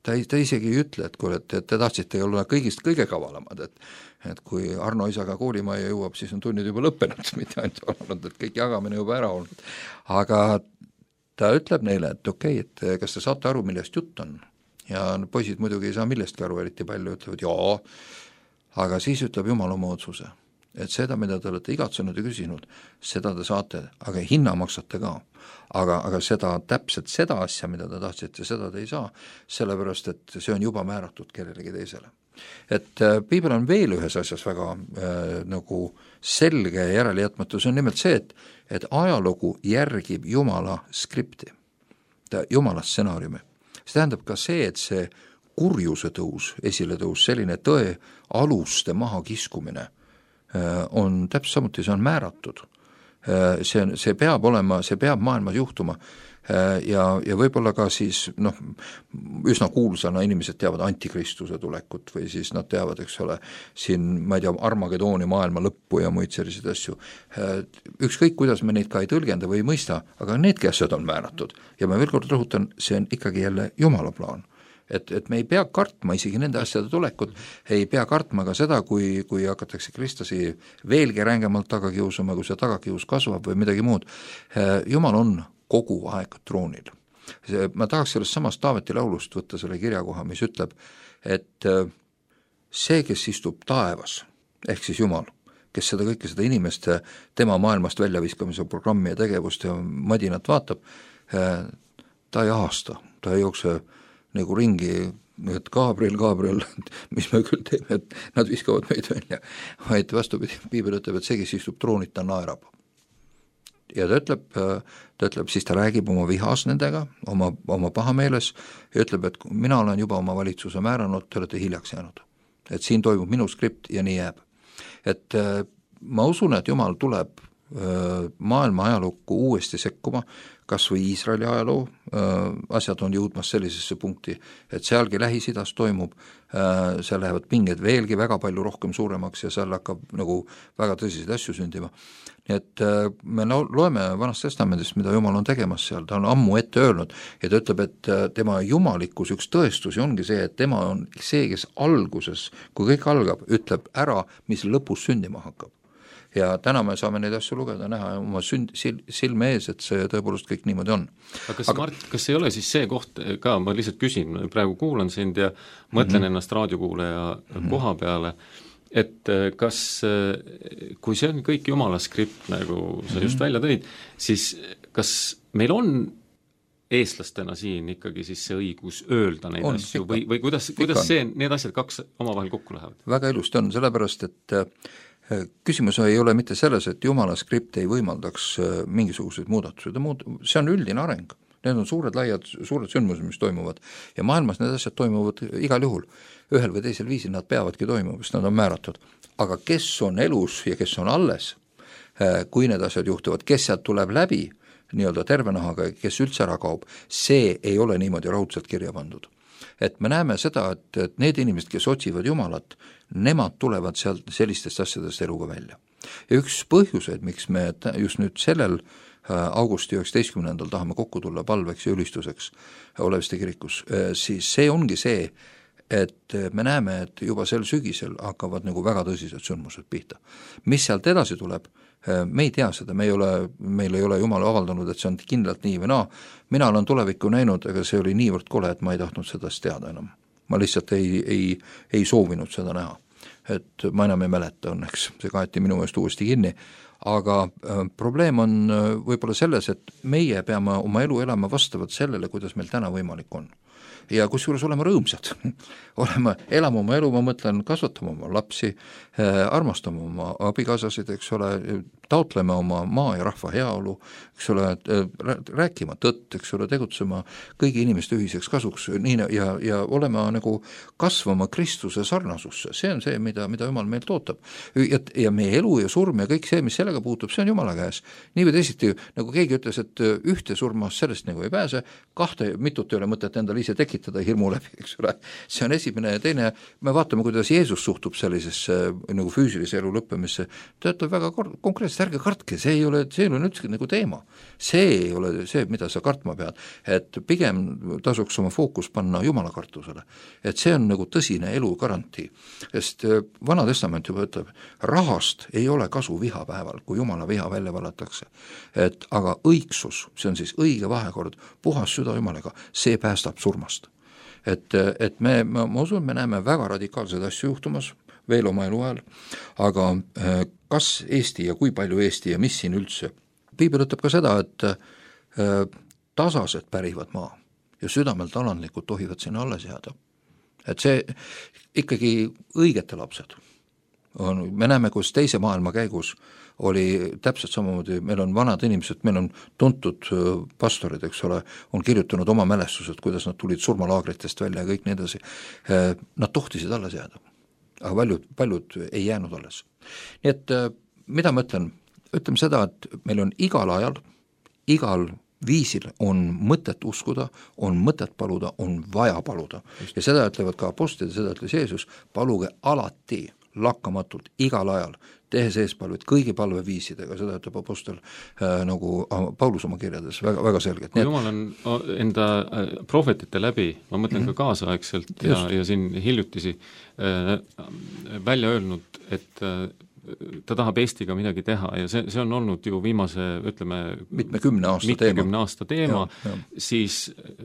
Ta, ta isegi ei ütle, et kui et, et te tahtsite olla kõigist kõige kavalamad, et, et kui Arno isaga koolimaja jõuab, siis on tunnid juba lõppenud, mitte ainult olnud, et kõik jagamine juba ära olnud. Aga ta ütleb neile, et okei, et kas te saate aru, millest jutt on? Ja poisid muidugi ei saa millestki aru, eriti palju ütlevad, jaa, aga siis ütleb Jumal oma otsuse, et seda, mida te olete igatsenud ja küsinud, seda te saate, aga hinna maksate ka. Aga, aga seda, täpselt seda asja, mida te tahtsite, seda te ei saa, sellepärast, et see on juba määratud kellelegi teisele. Et äh, piibel on veel ühes asjas väga äh, nagu selge ja järeljätmatu, see on nimelt see, et, et ajalugu järgib Jumala skripti, Jumala stsenaariumi. See tähendab ka see, et see kurjuse tõus, esile tõus, selline tõe aluste maha kiskumine äh, on täpselt samuti, see on määratud. See, see peab olema, see peab maailmas juhtuma ja, ja võib-olla ka siis noh, üsna kuulsana inimesed teavad antikristuse tulekut või siis nad teavad, eks ole, siin ma ei tea, Armagedooni maailma lõppu ja muid selliseid asju. Ükskõik, kuidas me neid ka ei tõlgenda või ei mõista, aga needki asjad on määratud ja ma veel kord rõhutan, see on ikkagi jälle Jumala plaan. Et, et me ei pea kartma isegi nende asjade tulekut, ei pea kartma ka seda, kui, kui hakatakse kristlasi veelgi rängemalt taga kiusama, kui see tagakius kasvab või midagi muud. Jumal on kogu aeg troonil. Ma tahaks sellest samast Taaveti laulust võtta selle kirjakoha, mis ütleb, et see, kes istub taevas, ehk siis Jumal, kes seda kõike seda inimeste tema maailmast väljaviskamise programmi ja tegevust ja madinat vaatab, ta ei ahasta, ta ei jookse nagu ringi, et Gabriel, Gabriel, mis me küll teeme, et nad viskavad meid välja, vaid vastupidi, piibel ütleb, et see, kes istub troonid, ta naerab. Ja ta ütleb, ta ütleb, siis ta räägib oma vihas nendega, oma, oma pahameeles ja ütleb, et mina olen juba oma valitsuse määranud, te olete hiljaks jäänud. Et siin toimub minu skript ja nii jääb. Et ma usun, et Jumal tuleb maailma ajalukku uuesti sekkuma, kas või Iisraeli ajaloo asjad on jõudmas sellisesse punkti, et sealgi Lähis-Idas toimub, seal lähevad pinged veelgi väga palju rohkem suuremaks ja seal hakkab nagu väga tõsiseid asju sündima. Nii et me loeme Vanast Testamendist, mida Jumal on tegemas seal, ta on ammu ette öelnud ja ta ütleb, et tema jumalikkus üks tõestusi ongi see, et tema on see, kes alguses, kui kõik algab, ütleb ära, mis lõpus sündima hakkab. Ja täna me saame neid asju lugeda, näha oma sünd, sil, silme ees, et see tõepoolest kõik niimoodi on.
Aga kas, Aga... Mart, kas ei ole siis see koht ka, ma lihtsalt küsin, praegu kuulan sind ja mõtlen mm-hmm. ennast raadiokuuleja mm-hmm. koha peale, et kas, kui see on kõik Jumala skript, nagu sa mm-hmm. just välja tõid, siis kas meil on eestlastena siin ikkagi siis see õigus öelda neid on, asju ikka, või, või kuidas, kuidas see, need asjad kaks omavahel kokku lähevad? Väga
ilusti on, sellepärast et küsimus ei ole mitte selles, et Jumala skript ei võimaldaks mingisuguseid muudatusi, see on üldine areng, need on suured laiad, suured sündmused, mis toimuvad ja maailmas need asjad toimuvad igal juhul, ühel või teisel viisil nad peavadki toimuma, sest nad on määratud, aga kes on elus ja kes on alles, kui need asjad juhtuvad, kes sealt tuleb läbi nii-öelda terve nahaga, kes üldse ära kaob, see ei ole niimoodi raudselt kirja pandud. Et me näeme seda, et, et need inimesed, kes otsivad Jumalat, nemad tulevad sealt sellistest asjadest eluga välja. Ja üks põhjuseid, miks me just nüüd sellel augusti üheksateistkümnendal tahame kokku tulla palveks ja ülistuseks Oleviste kirikus, siis see ongi see, et me näeme, et juba sel sügisel hakkavad nagu väga tõsised sündmused pihta. Mis sealt edasi tuleb, me ei tea seda, me ei ole, meil ei ole Jumal avaldanud, et see on kindlalt nii või naa, mina olen tulevikku näinud, aga see oli niivõrd kole, et ma ei tahtnud sedast teada enam. Ma lihtsalt ei, ei, ei soovinud seda näha, et ma enam ei mäleta õnneks, see kaeti minu eest uuesti kinni, aga äh, probleem on äh, võib-olla selles, et meie peame oma elu elama vastavalt sellele, kuidas meil täna võimalik on. Ja kusjuures olema rõõmsad, olema, elama oma elu, ma mõtlen, kasvatama oma lapsi, äh, armastama oma abikaasasid, eks ole, taotleme oma maa ja rahva heaolu, eks ole, rääkima tõtt, eks ole, tegutsema kõigi inimeste ühiseks kasuks nii, ja, ja olema nagu kasvama Kristuse sarnasusse, see on see, mida, mida Jumal meilt ootab. Ja, ja meie elu ja surm ja kõik see, mis sellega puutub, see on Jumala käes. Nii või teisiti, nagu keegi ütles, et ühte surmas sellest nagu ei pääse, kahte mitut ei ole mõtet endale ise tekitada hirmu läbi, eks ole. See on esimene ja teine, me vaatame, kuidas Jeesus suhtub sellisesse nagu füüsilise elu lõppemisse, ta ütleb väga konkreetselt, ärge kartke, see ei ole, see ei ole üldse nagu teema. See ei ole see, mida sa kartma pead, et pigem tasuks oma fookus panna Jumala kartusele. Et see on nagu tõsine elu garantii, sest Vana Testament juba ütleb, rahast ei ole kasu vihapäeval, kui Jumala viha välja valatakse. Et aga õigsus, see on siis õige vahekord, puhas süda Jumalaga, see päästab surmast. Et, et me, ma, ma usun, me näeme väga radikaalseid asju juhtumas, veel oma elu ajal, aga kas Eesti ja kui palju Eesti ja mis siin üldse? Piibel ütleb ka seda, et tasased pärivad maa ja südamelt alandlikud tohivad sinna alles jääda. Et see ikkagi õigete lapsed on, me näeme, kus teise maailma käigus oli täpselt samamoodi, meil on vanad inimesed, meil on tuntud pastorid, eks ole, on kirjutanud oma mälestused, kuidas nad tulid surmalaagritest välja ja kõik nii edasi. Nad tohtisid alles jääda, aga paljud, paljud ei jäänud alles. Nii et mida ma ütlen? Ütleme seda, et meil on igal ajal, igal viisil on mõtet uskuda, on mõtet paluda, on vaja paluda. Ja seda ütlevad ka apostlid, seda ütles Jeesus, paluge alati, lakkamatult, igal ajal, tehes eespalvet kõigi palveviisidega, seda ütleb apostel äh, nagu Paulus oma kirjades väga, väga selgelt.
Kui Jumal on enda prohvetite läbi, ma mõtlen mm-hmm. ka kaasaegselt ja, ja siin hiljutisi äh, välja öelnud, et äh, ta tahab Eestiga midagi teha ja see, see on olnud ju viimase, ütleme,
mitmekümne aasta
mitmekümne
teema,
aasta teema ja, ja. Siis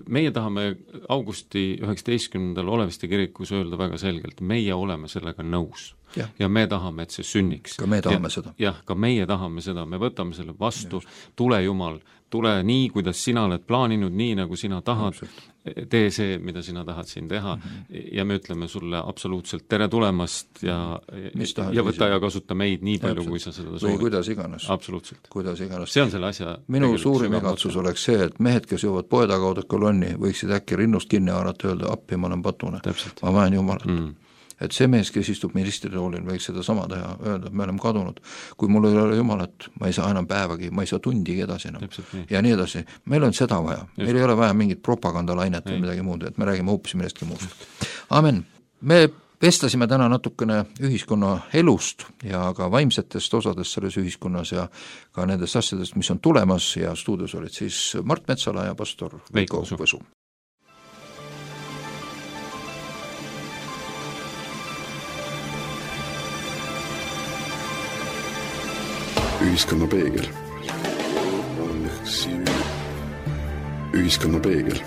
meie tahame augusti üheksateistkümnendal Oleviste kirikus öelda väga selgelt, meie oleme sellega nõus ja, ja me tahame, et see sünniks.
Ka me tahame
ja,
seda.
Jah, ka meie tahame seda, me võtame selle vastu, Just. Tule Jumal, tule nii, kuidas sina oled plaaninud, nii nagu sina tahad, tee see, mida sina tahad siin teha mm-hmm. ja me ütleme sulle absoluutselt tere tulemast ja, ja võta ja kasuta meid nii palju, kui sa seda soovid.
Või kuidas iganes.
Absoluutselt.
Kuidas iganes.
See on selle asja
minu suurim igatsus oleks see, et mehed, kes jõuavad poe tagauda kolonni, võiksid äkki rinnust kinni haarata, öelda appi, ma olen patune.
Täpselt.
Ma vajan Jumalat.
Mm.
Et see mees, kes istub ministritoolil, võiks seda sama teha, öelda, et me oleme kadunud. Kui mul ei ole Jumalat, ma ei saa enam päevagi, ma ei saa tundigi edasi enam.
Nii.
Ja nii edasi. Meil on seda vaja. Just. Meil ei ole vaja mingit propagandalainet või midagi muud, et me räägime hoopis millestki muust. Amen. Me vestlesime täna natukene ühiskonna elust ja ka vaimsetest osadest selles ühiskonnas ja ka nendest asjadest, mis on tulemas ja stuudios olid siis Mart Metsala ja pastor Veiko Võsu.
Ühiskonna peegel. Ühiskonna peegel.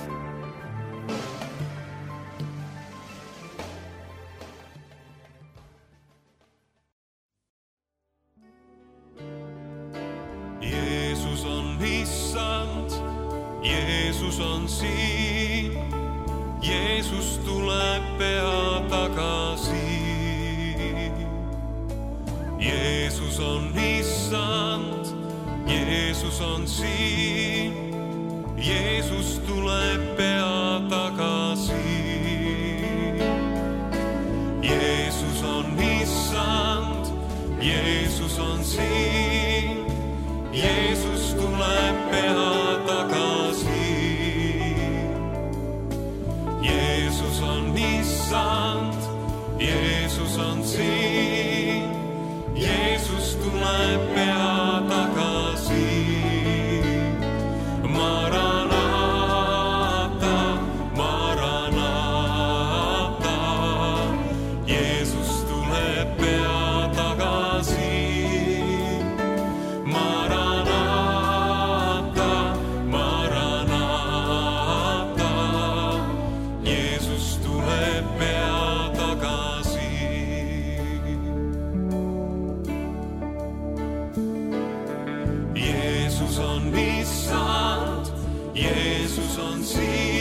Jeesus on issand, Jeesus on siin, Jeesus tuleb pea tagasi. Jeesus on issand, Jeesus on siin, Jeesus tuleb pea tagasi. Jeesus on issand, Jeesus on siin, Jeesus tuleb pea tagasi. Jeesus on issand, Jeesus on siin, Jeesus tuleb pea tagasi. Maranata, Maranata, Jeesus tuleb pea tagasi. Maranata, Maranata, Jeesus tuleb pea tagasi. Jeesus on issand, Jeesus on siin.